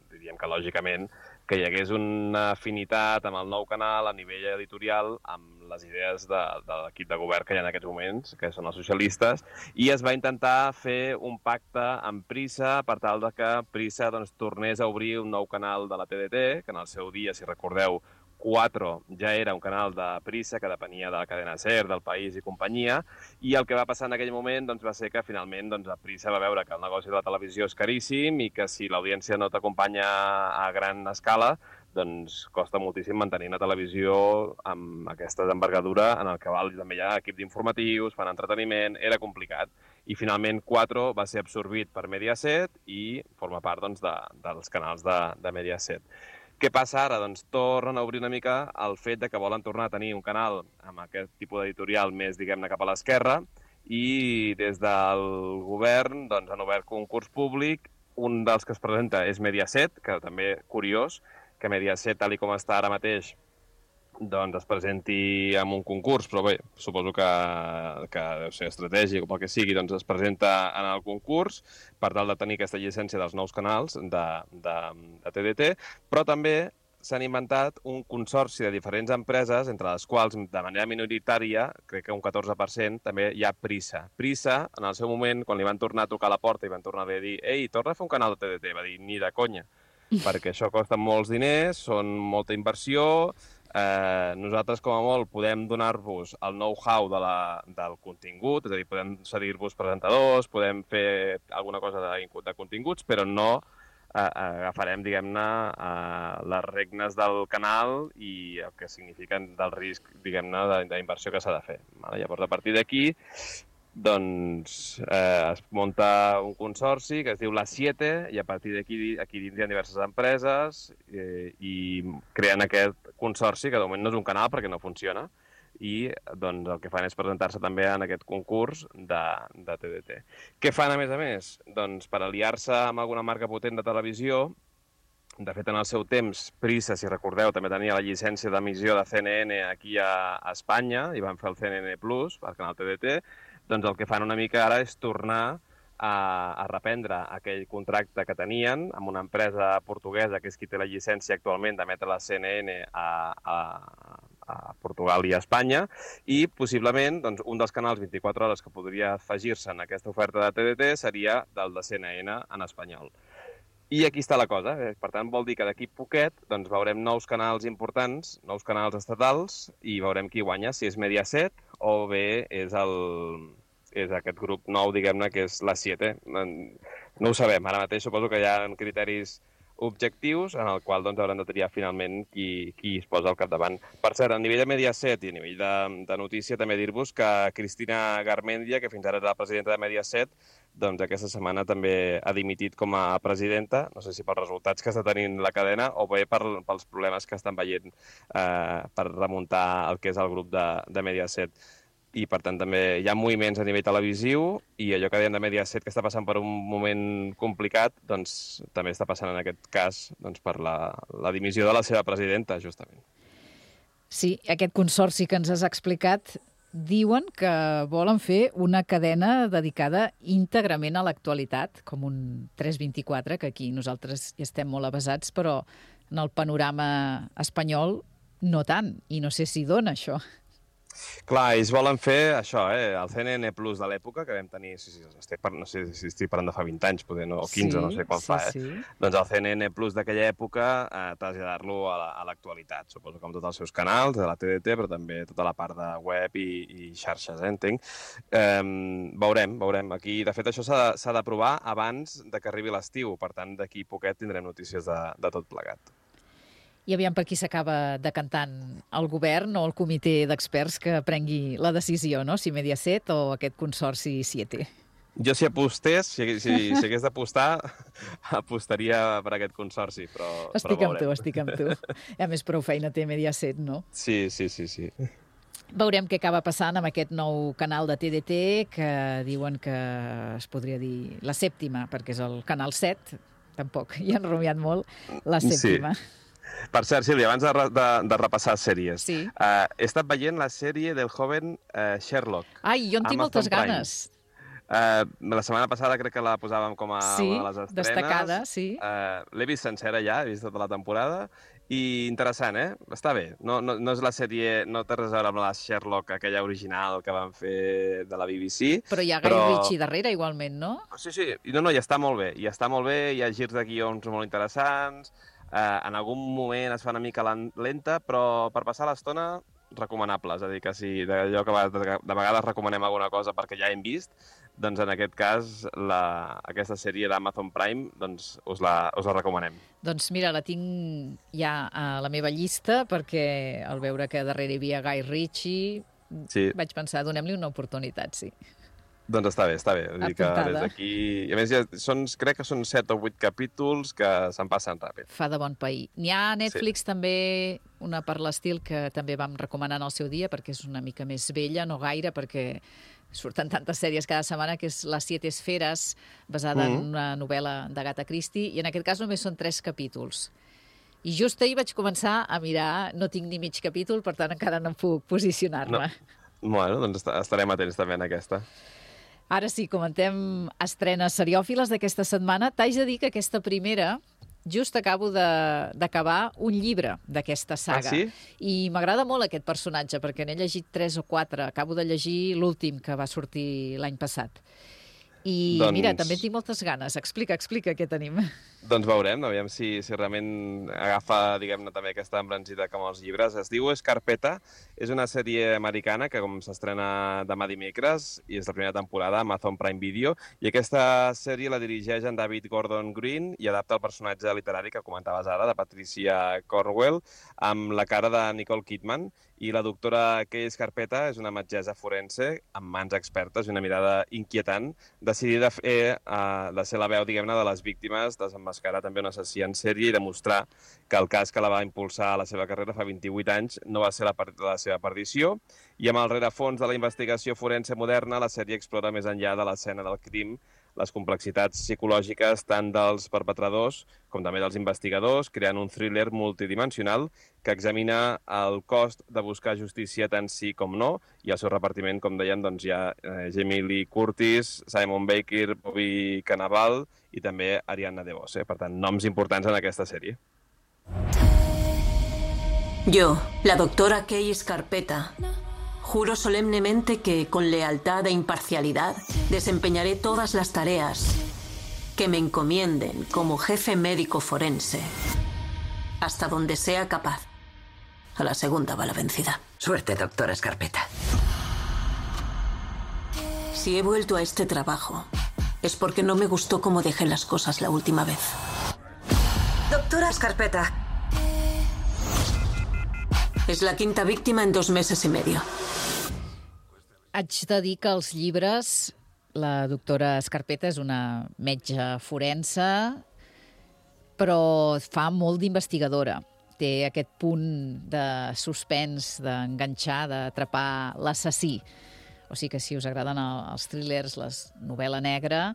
Speaker 15: diríem que lògicament, que hi hagués una afinitat amb el nou canal a nivell editorial amb les idees de, de l'equip de govern que hi ha en aquests moments, que són els socialistes, i es va intentar fer un pacte amb Prisa per tal de que Prisa doncs, tornés a obrir un nou canal de la T D T, que en el seu dia, si recordeu, quatre ja era un canal de Prisa que depenia de la cadena SER, del País i companyia, i el que va passar en aquell moment doncs, va ser que finalment doncs, Prisa va veure que el negoci de la televisió és caríssim i que si l'audiència no t'acompanya a gran escala, doncs costa moltíssim mantenir una televisió amb aquesta envergadura en el que val, també hi ha equip d'informatius, fan entreteniment, era complicat. I finalment quatre va ser absorbit per Mediaset i forma part doncs, de, dels canals de, de Mediaset. Què passa ara? Doncs tornen a obrir una mica el fet de que volen tornar a tenir un canal amb aquest tipus d'editorial més, diguem-ne, cap a l'esquerra, i des del govern doncs, han obert concurs públic. Un dels que es presenta és Mediaset, que també curiós, que Mediaset, tal com està ara mateix, doncs es presenti en un concurs, però bé, suposo que, que deu ser estratègic o pel que sigui, doncs es presenta en el concurs per tal de tenir aquesta llicència dels nous canals de, de, de T D T, però també s'han inventat un consorci de diferents empreses, entre les quals, de manera minoritària, crec que un catorze per cent, també hi ha Prisa. Prisa, en el seu moment, quan li van tornar a tocar a la porta i van tornar a dir «Ei, torna a fer un canal de T D T», va dir «Ni de conya», perquè això costa molts diners, són molta inversió. Eh, nosaltres, com a molt, podem donar-vos el know-how de la, del contingut, és a dir, podem cedir-vos presentadors, podem fer alguna cosa de, de continguts, però no eh, agafarem, diguem-ne, eh, les regnes del canal i el que signifiquen del risc, diguem-ne, d'inversió que s'ha de fer. Vale? Llavors, a partir d'aquí, doncs eh, es munta un consorci que es diu La Siete, i a partir d'aquí aquí dins hi ha diverses empreses eh, i creen aquest consorci, que de moment no és un canal perquè no funciona, i doncs, el que fan és presentar-se també en aquest concurs de, de T D T. Què fan, a més a més? Doncs per aliar-se amb alguna marca potent de televisió. De fet, en el seu temps, Prisa, si recordeu, també tenia la llicència d'emissió de C N N aquí a, a Espanya, i van fer el C N N Plus, per canal T D T. Doncs el que fan una mica ara és tornar a, a reprendre aquell contracte que tenien amb una empresa portuguesa, que és qui té la llicència actualment d'emetre la C N N a, a, a Portugal i a Espanya, i possiblement doncs, un dels canals vint-i-quatre hores que podria afegir-se en aquesta oferta de T D T seria del de C N N en espanyol. I aquí està la cosa. Per tant, vol dir que d'aquí poquet doncs, veurem nous canals importants, nous canals estatals, i veurem qui guanya, si és Mediaset o bé és, el, és aquest grup nou, diguem-ne, que és La Siete. No ho sabem. Ara mateix suposo que hi ha criteris objectius en el qual doncs, haurem de triar finalment qui, qui es posa al capdavant. Per cert, a nivell de Mediaset i a nivell de, de notícia, també dir-vos que Cristina Garmendia, que fins ara era la presidenta de Mediaset, doncs aquesta setmana també ha dimitit com a presidenta, no sé si pels resultats que està tenint la cadena o bé per, pels problemes que estan veient eh, per remuntar el que és el grup de, de Mediaset. I, per tant, també hi ha moviments a nivell televisiu i allò que dèiem de Mediaset, que està passant per un moment complicat, doncs també està passant en aquest cas doncs, per la, la dimissió de la seva presidenta, justament.
Speaker 2: Sí, aquest consorci que ens has explicat diuen que volen fer una cadena dedicada íntegrament a l'actualitat, com un tres vint-i-quatre, que aquí nosaltres hi estem molt avesats, però en el panorama espanyol no tant, i no sé si dona això.
Speaker 15: Clar, ells volen fer això, eh? El C N N Plus de l'època, que vam tenir, sí, sí, estic par... no sé si estic parlant de fa vint anys, poder, no? O quinze, sí, no sé qual sí, fa, eh? Sí. Doncs el C N N Plus d'aquella època, eh, traslladar-lo a l'actualitat, suposo que amb tots els seus canals, de la T D T, però també tota la part de web i, i xarxes, eh, entenc. Eh, veurem, veurem. Aquí, de fet, això s'ha d'aprovar abans de que arribi l'estiu, per tant, d'aquí poquet tindrem notícies de, de tot plegat.
Speaker 2: I aviam per qui s'acaba decantant el govern o el comitè d'experts que prengui la decisió, no? Si Mediaset o aquest consorci Siete.
Speaker 15: Jo, si apostés, si, si, si hagués d'apostar, apostaria per aquest consorci, però,
Speaker 2: estic
Speaker 15: però
Speaker 2: amb tu, estic amb tu. A més, prou feina té Mediaset, no?
Speaker 15: Sí, sí, sí, sí.
Speaker 2: Veurem què acaba passant amb aquest nou canal de T D T, que diuen que es podria dir la sèptima, perquè és el canal set, tampoc hi han rumiat molt, la sèptima.
Speaker 15: Sí. Per cert, Sílvia, abans de, de, de repassar sèries,
Speaker 2: sí.
Speaker 15: uh, he estat veient la sèrie del joven uh, Sherlock.
Speaker 2: Ai, jo en tinc moltes Prime. ganes.
Speaker 15: Uh, la setmana passada crec que la posàvem com a
Speaker 2: sí,
Speaker 15: una de les estrenes.
Speaker 2: Destacada, sí.
Speaker 15: Uh, L'he vist sencera ja, he vist tota la temporada, i interessant, eh? Està bé. No, no, no és la sèrie, no té res a veure amb la Sherlock, aquella original que van fer de la B B C.
Speaker 2: Però hi ha Guy però... Ritchie darrere, igualment, no?
Speaker 15: Sí, sí, no, no, i està molt bé, i està molt bé, hi ha girs de guions molt interessants. Uh, en algun moment es fa una mica lenta, però per passar l'estona, recomanable. És a dir, que si d'allò que de, de vegades recomanem alguna cosa perquè ja hem vist, doncs en aquest cas la, aquesta sèrie d'Amazon Prime doncs us la, us la recomanem.
Speaker 2: Doncs mira, la tinc ja a la meva llista perquè al veure que darrere hi havia Guy Ritchie sí. vaig pensar, donem-li una oportunitat, sí.
Speaker 15: Doncs està bé, està bé. Vull dir que des d'aquí... I a més, ja són, crec que són set o vuit capítols que se'n passen ràpid.
Speaker 2: Fa de bon pair. N'hi ha a Netflix sí. també una per l'estil que també vam recomanar en el seu dia, perquè és una mica més vella, no gaire, perquè surten tantes sèries cada setmana, que és Les Siete Esferes, basada mm-hmm. en una novel·la d'Agatha Christie, i en aquest cas només són tres capítols. I just ahir vaig començar a mirar, no tinc ni mig capítol, per tant encara no puc posicionar-me.
Speaker 15: No. Bueno, doncs estarem atents també en aquesta.
Speaker 2: Ara sí, comentem estrenes seriòfiles d'aquesta setmana. T'haig de dir que aquesta primera, just acabo d'acabar un llibre d'aquesta saga.
Speaker 15: Ah, sí?
Speaker 2: I m'agrada molt aquest personatge, perquè n'he llegit tres o quatre. Acabo de llegir l'últim, que va sortir l'any passat. I doncs... mira, també tinc moltes ganes. Explica, explica què tenim.
Speaker 15: Doncs veurem, aviam si, si realment agafa, diguem-ne, també aquesta embranzida com els llibres. Es diu Scarpetta, és una sèrie americana que com s'estrena demà dimecres i és la primera temporada a Amazon Prime Video, i aquesta sèrie la dirigeix en David Gordon Green i adapta el personatge literari que comentaves ara, de Patricia Cornwell, amb la cara de Nicole Kidman, i la doctora Kay Scarpetta és una metgessa forense amb mans expertes i una mirada inquietant, decidida a fer, uh, de ser la veu, diguem-ne, de les víctimes, desemmascarar també un assassí en sèrie i demostrar que el cas que la va impulsar a la seva carrera fa vint-i-vuit anys no va ser la, la seva perdició. I amb el rerefons de la investigació forense moderna, la sèrie explora més enllà de l'escena del crim les complexitats psicològiques tant dels perpetradors com també dels investigadors, creant un thriller multidimensional que examina el cost de buscar justícia tant sí com no, i el seu repartiment, com deien, doncs hi ha eh, Jamie Lee Curtis, Simon Baker, Bobby Cannavale i també Ariadna DeBose. Eh? Per tant, noms importants en aquesta sèrie.
Speaker 16: Yo, la doctora Kay Scarpetta, juro solemnemente que, con lealtad e imparcialidad, desempeñaré todas las tareas que me encomienden como jefe médico forense, hasta donde sea capaz. A la segunda va la vencida.
Speaker 17: Suerte, doctora Scarpetta.
Speaker 16: Si he vuelto a este trabajo, es porque no me gustó cómo dejé las cosas la última vez.
Speaker 17: Doctora Scarpetta.
Speaker 16: Es la quinta víctima en dos meses y medio.
Speaker 2: Haig de dir que els llibres, la doctora Scarpetta és una metge forense, però fa molt d'investigadora. Té aquest punt de suspens, d'enganxar, d'atrapar l'assassí. O sigui que si us agraden els thrillers, la novel·la negra,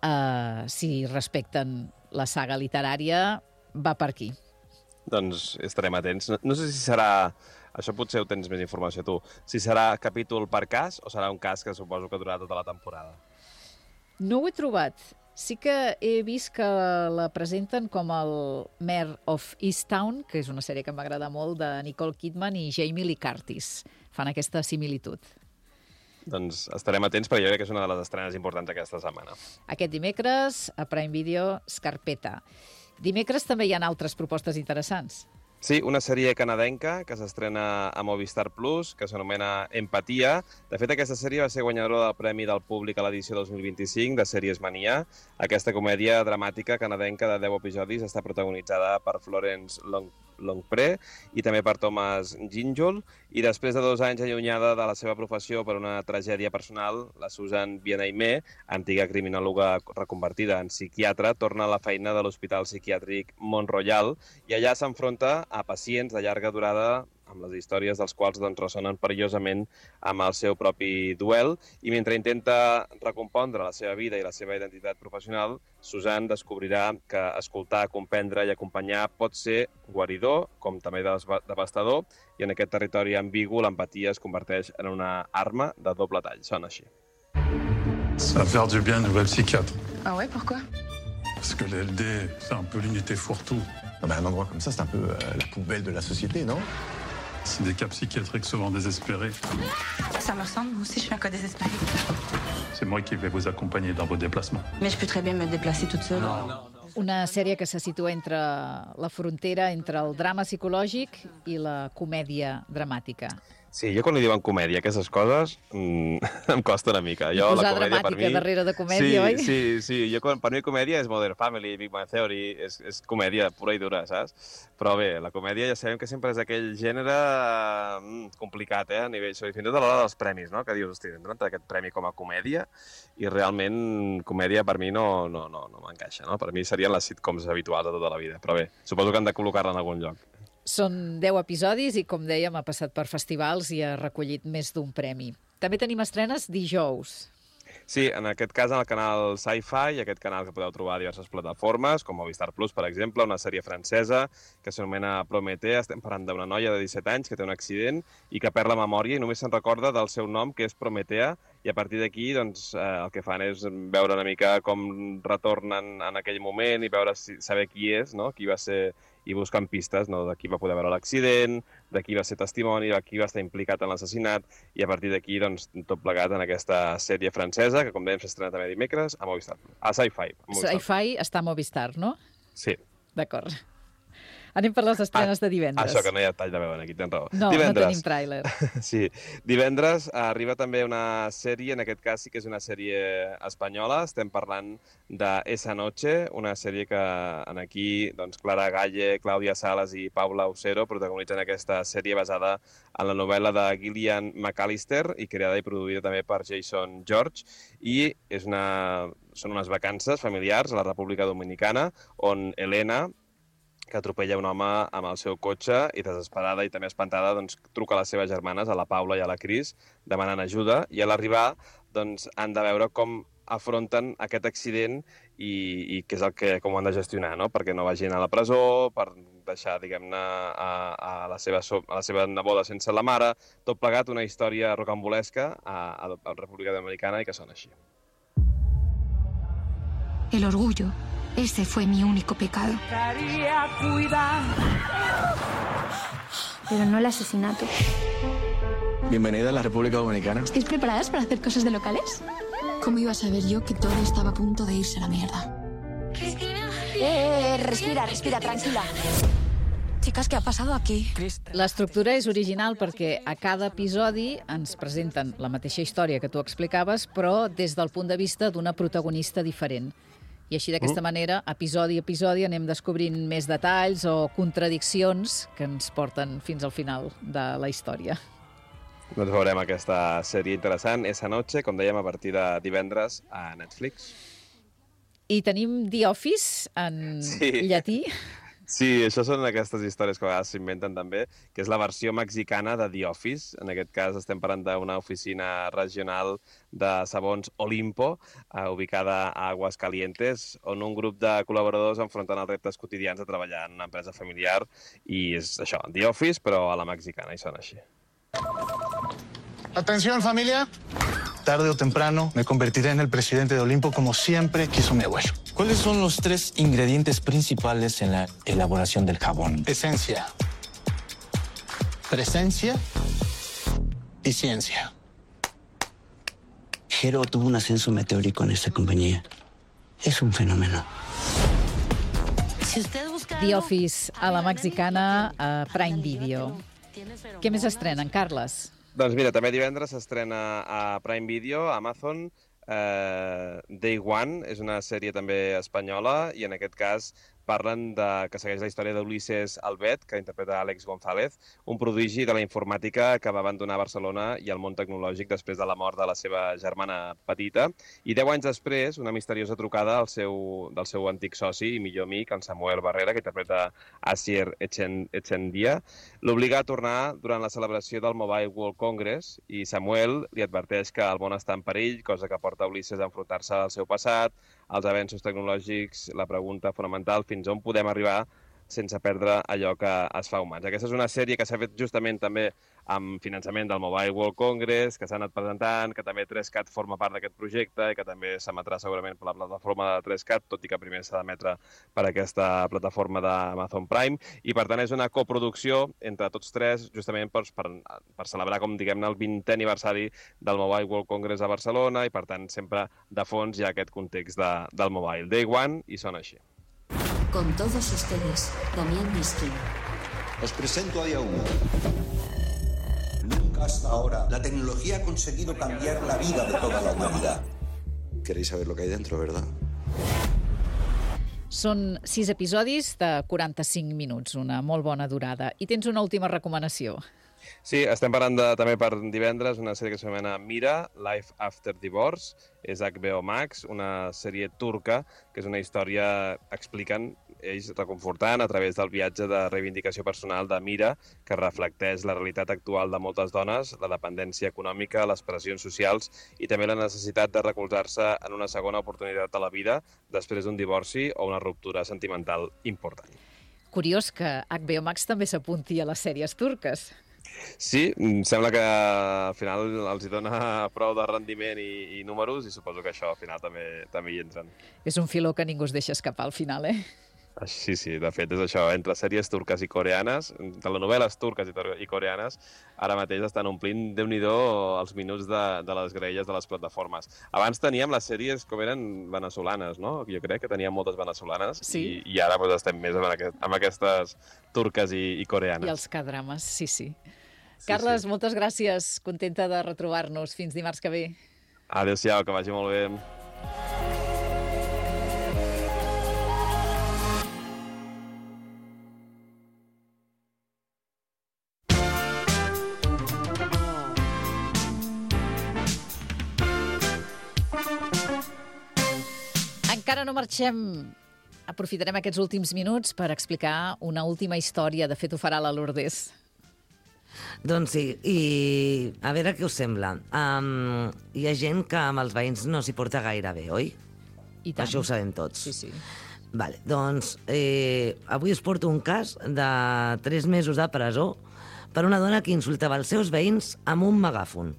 Speaker 2: eh, si respecten la saga literària, va per aquí.
Speaker 15: Doncs estarem atents. No, no sé si serà Això potser ho tens més informació tu. Si serà capítol per cas o serà un cas que suposo que durarà tota la temporada?
Speaker 2: No ho he trobat. Sí que he vist que la presenten com el Mayor of Easttown, que és una sèrie que m'agrada molt, de Nicole Kidman i Jamie Lee Curtis. Fan aquesta similitud.
Speaker 15: Doncs estarem atents perquè jo crec que és una de les estrenes importants aquesta setmana.
Speaker 2: Aquest dimecres, a Prime Video, Scarpetta. Dimecres també hi ha altres propostes interessants.
Speaker 15: Sí, una sèrie canadenca que s'estrena a Movistar Plus, que s'anomena Empatia. De fet, aquesta sèrie va ser guanyadora del Premi del Públic a l'edició dos mil vint-i-cinc de Sèries Mania. Aquesta comèdia dramàtica canadenca de deu episodis està protagonitzada per Florence Long Longpre i també per Thomas Ginjul, i després de dos anys allunyada de la seva professió per una tragèdia personal, la Susan Bien-Aimé, antiga criminòloga reconvertida en psiquiatra, torna a la feina de l'Hospital Psiquiàtric Mont-Royal i allà s'enfronta a pacients de llarga durada amb les històries dels quals doncs, ressonen perillosament amb el seu propi duel, i mentre intenta recompondre la seva vida i la seva identitat professional, Susan descobrirà que escoltar, comprendre i acompanyar pot ser guaridor, com també devastador, i en aquest territori ambigu l'empatia es converteix en una arma de doble tall. Sona així.
Speaker 18: Ça va faire du bien une nouvelle psychiatre.
Speaker 19: Ah ouais, pourquoi?
Speaker 18: Parce que l'L D, c'est un peu l'unité fourre-tout.
Speaker 20: Ah ben, un endroit comme ça, c'est un peu euh, la poubelle de la société, non?
Speaker 18: C'est des cas psychiatriques souvent désespérés.
Speaker 19: Ça me ressemble, moi aussi je suis un cas désespéré.
Speaker 18: C'est moi qui vais vous accompagner dans vos déplacements.
Speaker 19: Mais je peux très bien me déplacer toute seule.
Speaker 18: Non, non.
Speaker 2: Una sèrie que se situa entre la frontera entre el drama psicològic i la comèdia dramàtica.
Speaker 15: Sí, jo quan li diuen comèdia, aquestes coses, mmm, em costa una mica. Jo,
Speaker 2: posar
Speaker 15: la comèdia,
Speaker 2: dramàtica
Speaker 15: per mi...
Speaker 2: darrere de comèdia,
Speaker 15: sí,
Speaker 2: oi?
Speaker 15: Sí, sí, jo, per mi comèdia és Modern Family, Big Bang Theory, és, és comèdia pura i dura, saps? Però bé, la comèdia ja sabem que sempre és aquell gènere mm, complicat, eh, a nivell... Fins i tot a l'hora dels premis, no? Que dius, hosti, hem donat aquest premi com a comèdia i realment comèdia per mi no, no, no, no m'encaixa, no? Per mi serien les sitcoms habituals de tota la vida, però bé, suposo que han de col·locar-la en algun lloc.
Speaker 2: Són deu episodis i, com dèiem, ha passat per festivals i ha recollit més d'un premi. També tenim estrenes dijous.
Speaker 15: Sí, en aquest cas en el canal Sci-Fi, aquest canal que podeu trobar a diverses plataformes, com Movistar Plus, per exemple, una sèrie francesa que s'anomena Prométhée. Estem parlant d'una noia de disset anys que té un accident i que perd la memòria i només se'n recorda del seu nom, que és Prométhea, i a partir d'aquí doncs, eh, el que fan és veure una mica com retornen en aquell moment i veure si, saber qui és, no? Qui va ser, i busquen pistes, no? De qui va poder veure l'accident, de qui va ser testimoni, de qui va estar implicat en l'assassinat, i a partir d'aquí doncs, tot plegat en aquesta sèrie francesa, que com dèiem s'estrena també dimecres a Movistar. A Sci-Fi.
Speaker 2: Sci-Fi està a Movistar, no?
Speaker 15: Sí.
Speaker 2: D'acord. Anem per les estrenes ah, de divendres.
Speaker 15: Això, que no hi ha tall de veu aquí, tens raó.
Speaker 2: No, divendres. No tenim tràiler.
Speaker 15: Sí. Divendres arriba també una sèrie, en aquest cas sí que és una sèrie espanyola. Estem parlant de Esa Noche, una sèrie que en aquí doncs, Clara Galle, Clàudia Salas i Paula Usero protagonitzen aquesta sèrie basada en la novel·la de Gillian McAllister i creada i produïda també per Jason George. I és una... són unes vacances familiars a la República Dominicana on Elena, que atropella un home amb el seu cotxe i desesperada i també espantada doncs, truca a les seves germanes, a la Paula i a la Cris, demanant ajuda, i a l'arribar doncs, han de veure com afronten aquest accident i, i què és el que, com ho han de gestionar, no? Perquè no vagin a la presó, per deixar, diguem-ne, a, a, la seva, a la seva neboda sense la mare, tot plegat una història rocambolesca a, a, a la República Dominicana i que sona així.
Speaker 21: El orgullo. Ese fue mi único pecado. Pero no el asesinato.
Speaker 20: Bienvenida a la República Dominicana.
Speaker 21: ¿Estáis preparadas para hacer cosas de locales? ¿Cómo iba a saber yo que todo estaba a punto de irse a la mierda? Cristina. Eh, eh, respira, respira, tranquila. Chicas, què ha passat aquí?
Speaker 2: L'estructura és original perquè a cada episodi ens presenten la mateixa història que tu explicaves, però des del punt de vista d'una protagonista diferent. I així, d'aquesta mm. manera, episodi a episodi, anem descobrint més detalls o contradiccions que ens porten fins al final de la història.
Speaker 15: Doncs veurem aquesta sèrie interessant, Esa Noche, com dèiem, a partir de divendres a Netflix.
Speaker 2: I tenim The Office en
Speaker 15: sí.
Speaker 2: llatí.
Speaker 15: Sí, això són aquestes històries que a vegades s'inventen també, que és la versió mexicana de The Office. En aquest cas estem parlant d'una oficina regional de sabons Olimpo, eh, ubicada a Aguascalientes, on un grup de col·laboradors enfronten els reptes quotidians de treballar en una empresa familiar, i és això, The Office, però a la mexicana, i sona així.
Speaker 20: Atención, familia. Tarde o temprano me convertiré en el presidente de Olimpo como siempre quiso mi abuelo.
Speaker 1: ¿Cuáles son los tres ingredientes principales en la elaboración del jabón?
Speaker 20: Esencia, presencia y ciencia.
Speaker 1: Jero tuvo un ascenso meteórico en esta compañía. Es un fenómeno.
Speaker 2: The Office a la mexicana a Prime Video. Què més estrenen, Carles?
Speaker 15: Doncs mira, també divendres s'estrena a Prime Video, a Amazon, eh, Day One, és una sèrie també espanyola, i en aquest cas parlen de, que segueix la història d'Ulises Albet, que interpreta Àlex González, un prodigi de la informàtica que va abandonar Barcelona i el món tecnològic després de la mort de la seva germana petita. I deu anys després, una misteriosa trucada al seu, del seu antic soci i millor amic, en Samuel Barrera, que interpreta Asier Echendia, l'obliga a tornar durant la celebració del Mobile World Congress, i Samuel li adverteix que el món està en perill, cosa que porta Ulises a enfrontar-se al seu passat, als avenços tecnològics, la pregunta fonamental, fins on podem arribar sense perdre allò que es fa humans. Aquesta és una sèrie que s'ha fet justament també amb finançament del Mobile World Congress, que s'ha anat presentant, que també tres cat forma part d'aquest projecte i que també s'emetrà segurament per la plataforma de tres cat, tot i que primer s'ha d'emetre per aquesta plataforma d'Amazon Prime. I per tant és una coproducció entre tots tres, justament per, per, per celebrar, com diguem-ne, el vintè aniversari del Mobile World Congress a Barcelona, i per tant sempre de fons hi ha aquest context de, del Mobile. Day One, i sona així.
Speaker 22: Con todos ustedes, Damián Miskin.
Speaker 23: Os presento a Día uno. Nunca hasta ahora la tecnología ha conseguido cambiar la vida de toda la humanidad. Queréis saber lo que hay dentro, ¿verdad?
Speaker 2: Són sis episodis de quaranta-cinc minuts, una molt bona durada. I tens una última recomanació.
Speaker 15: Sí, estem parlant de, també per divendres una sèrie que s'anomena Mira, Life After Divorce. És H B O Max, una sèrie turca, que és una història, expliquen ells, reconfortant a través del viatge de reivindicació personal de Mira, que reflecteix la realitat actual de moltes dones, la dependència econòmica, les pressions socials i també la necessitat de recolzar-se en una segona oportunitat a la vida després d'un divorci o una ruptura sentimental important.
Speaker 2: Curiós que H B O Max també s'apunti a les sèries turques.
Speaker 15: Sí, sembla que al final els hi dona prou de rendiment i, i números, i suposo que això al final també, també hi entren.
Speaker 2: És un filó que ningú es deixa escapar al final, eh?
Speaker 15: Sí, sí, de fet és això, entre sèries turques i coreanes, telenovel·les turques i coreanes, ara mateix estan omplint, déu-n'hi-do, els minuts de, de les graelles de les plataformes. Abans teníem les sèries com eren venezolanes, no? Jo crec que teníem moltes venezolanes, sí. i, i ara doncs, estem més amb, aquest, amb aquestes turques i, i coreanes.
Speaker 2: I els K-drames, sí, sí. Sí, Carles, sí. Moltes gràcies. Contenta de retrobar-nos. Fins dimarts que ve.
Speaker 15: Adéu-siau, que vagi molt bé.
Speaker 2: Encara no marxem. Aprofitarem aquests últims minuts per explicar una última història. De fet, ho farà la Lourdes.
Speaker 24: Doncs sí, i a veure què us sembla. Um, hi ha gent que amb els veïns no s'hi porta gaire bé, oi?
Speaker 2: I tant.
Speaker 24: Això ho sabem tots.
Speaker 2: Sí, sí.
Speaker 24: Vale, doncs eh, avui us porto un cas de tres mesos de presó per una dona que insultava els seus veïns amb un megàfon.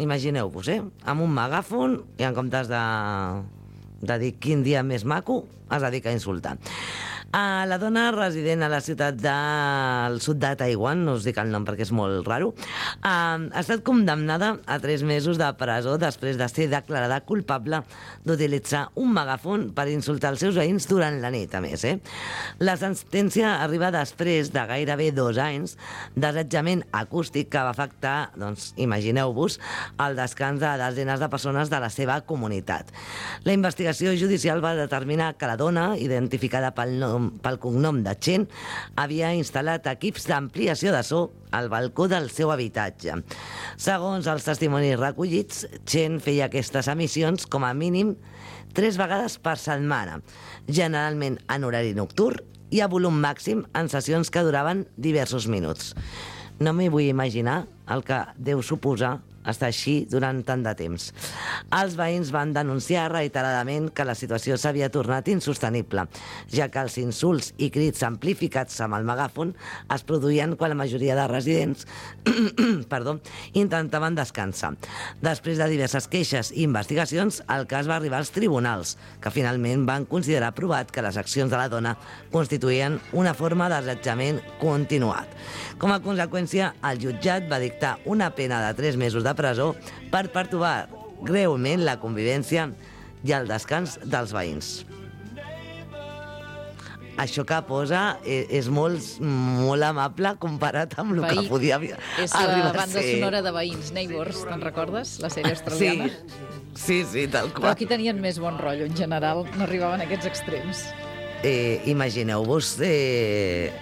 Speaker 24: Imagineu-vos, eh? Amb un megàfon i en comptes de, de dir quin dia més maco, es dedica a insultar. Uh, la dona resident a la ciutat del sud de Taiwan, no us dic el nom perquè és molt raro, uh, ha estat condemnada a tres mesos de presó després de ser declarada culpable d'utilitzar un megàfon per insultar els seus veïns durant la nit, a més. Eh? La sentència arriba després de gairebé dos anys d'assetjament acústic que va afectar, doncs, imagineu-vos, el descans de desenes de persones de la seva comunitat. La investigació judicial va determinar que la dona, identificada pel, nom, pel cognom de Chen, havia instal·lat equips d'ampliació de so al balcó del seu habitatge. Segons els testimonis recollits, Chen feia aquestes emissions com a mínim tres vegades per setmana, generalment en horari nocturn i a volum màxim en sessions que duraven diversos minuts. No m'hi vull imaginar el que deu suposar estar així durant tant de temps. Els veïns van denunciar reiteradament que la situació s'havia tornat insostenible, ja que els insults i crits amplificats amb el megàfon es produïen quan la majoria de residents perdó, intentaven descansar. Després de diverses queixes i investigacions, el cas va arribar als tribunals, que finalment van considerar provat que les accions de la dona constituïen una forma d'assetjament continuat. Com a conseqüència, el jutjat va dictar una pena de tres mesos de presó per pertorbar greument la convivència i el descans dels veïns. Això que posa és molt, molt amable comparat amb el Veí. que podia arribar a ser.
Speaker 2: És la banda sonora de Veïns, Neighbours, te'n recordes? La sèrie australiana.
Speaker 24: Sí, sí, sí, tal qual.
Speaker 2: Però aquí tenien més bon rotllo, en general, no arribaven a aquests extrems.
Speaker 24: Eh, Imagineu-vos... Eh,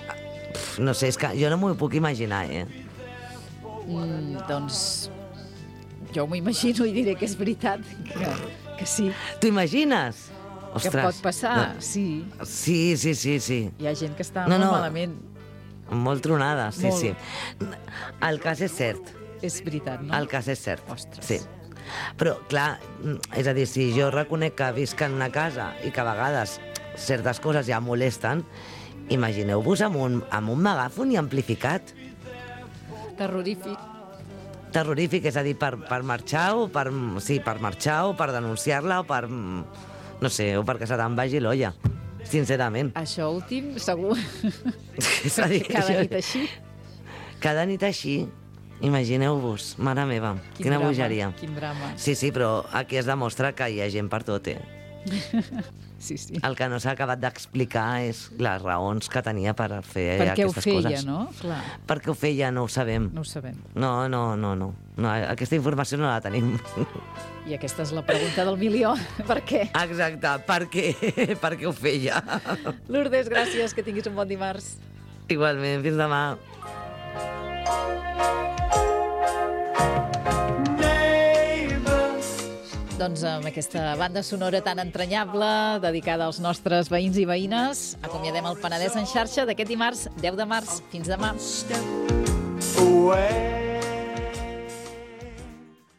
Speaker 24: no sé, és que jo no m'ho puc imaginar, eh?
Speaker 2: Mm, doncs... Jo m'ho imagino i diré que és veritat, que, que sí.
Speaker 24: T'ho imagines?
Speaker 2: Ostres, que pot passar, no. sí.
Speaker 24: Sí, sí, sí, sí.
Speaker 2: Hi ha gent que està
Speaker 24: no,
Speaker 2: molt
Speaker 24: no.
Speaker 2: malament.
Speaker 24: Molt tronada, sí, molt. sí. El cas és cert.
Speaker 2: És veritat, no?
Speaker 24: El cas és cert,
Speaker 2: Ostres.
Speaker 24: sí. Però, clar, és a dir, si jo reconec que visc en una casa i que a vegades certes coses ja molesten, imagineu-vos amb un, amb un megàfon i amplificat.
Speaker 2: Terrorífic.
Speaker 24: Terrorífic, és a dir, per, per marxar o per, sí, per marxar o per denunciar-la o per, no sé, o perquè se te'n vagi l'olla, sincerament.
Speaker 2: Això últim, segur.
Speaker 24: És a dir,
Speaker 2: cada
Speaker 24: això,
Speaker 2: nit així.
Speaker 24: Cada nit així, imagineu-vos, mare meva,
Speaker 2: quin
Speaker 24: quina
Speaker 2: drama,
Speaker 24: bogeria.
Speaker 2: Quin drama.
Speaker 24: Sí, sí, però aquí es demostra que hi ha gent per tot, eh?
Speaker 2: Sí, sí.
Speaker 24: El que no s'ha acabat d'explicar és les raons que tenia per fer
Speaker 2: per
Speaker 24: aquestes
Speaker 2: coses. Per què ho feia,
Speaker 24: coses.
Speaker 2: no? Clar.
Speaker 24: Per què ho feia, no ho sabem.
Speaker 2: No ho sabem.
Speaker 24: No, no, no, no. no aquesta informació no la tenim.
Speaker 2: I aquesta és la pregunta del milió. Per què?
Speaker 24: Exacte, per què? Per què ho feia?
Speaker 2: Lourdes, gràcies, que tinguis un bon dimarts.
Speaker 24: Igualment, fins demà.
Speaker 2: Doncs amb aquesta banda sonora tan entranyable, dedicada als nostres veïns i veïnes, acomiadem el Penedès en xarxa d'aquest dimarts, deu de març. Fins demà.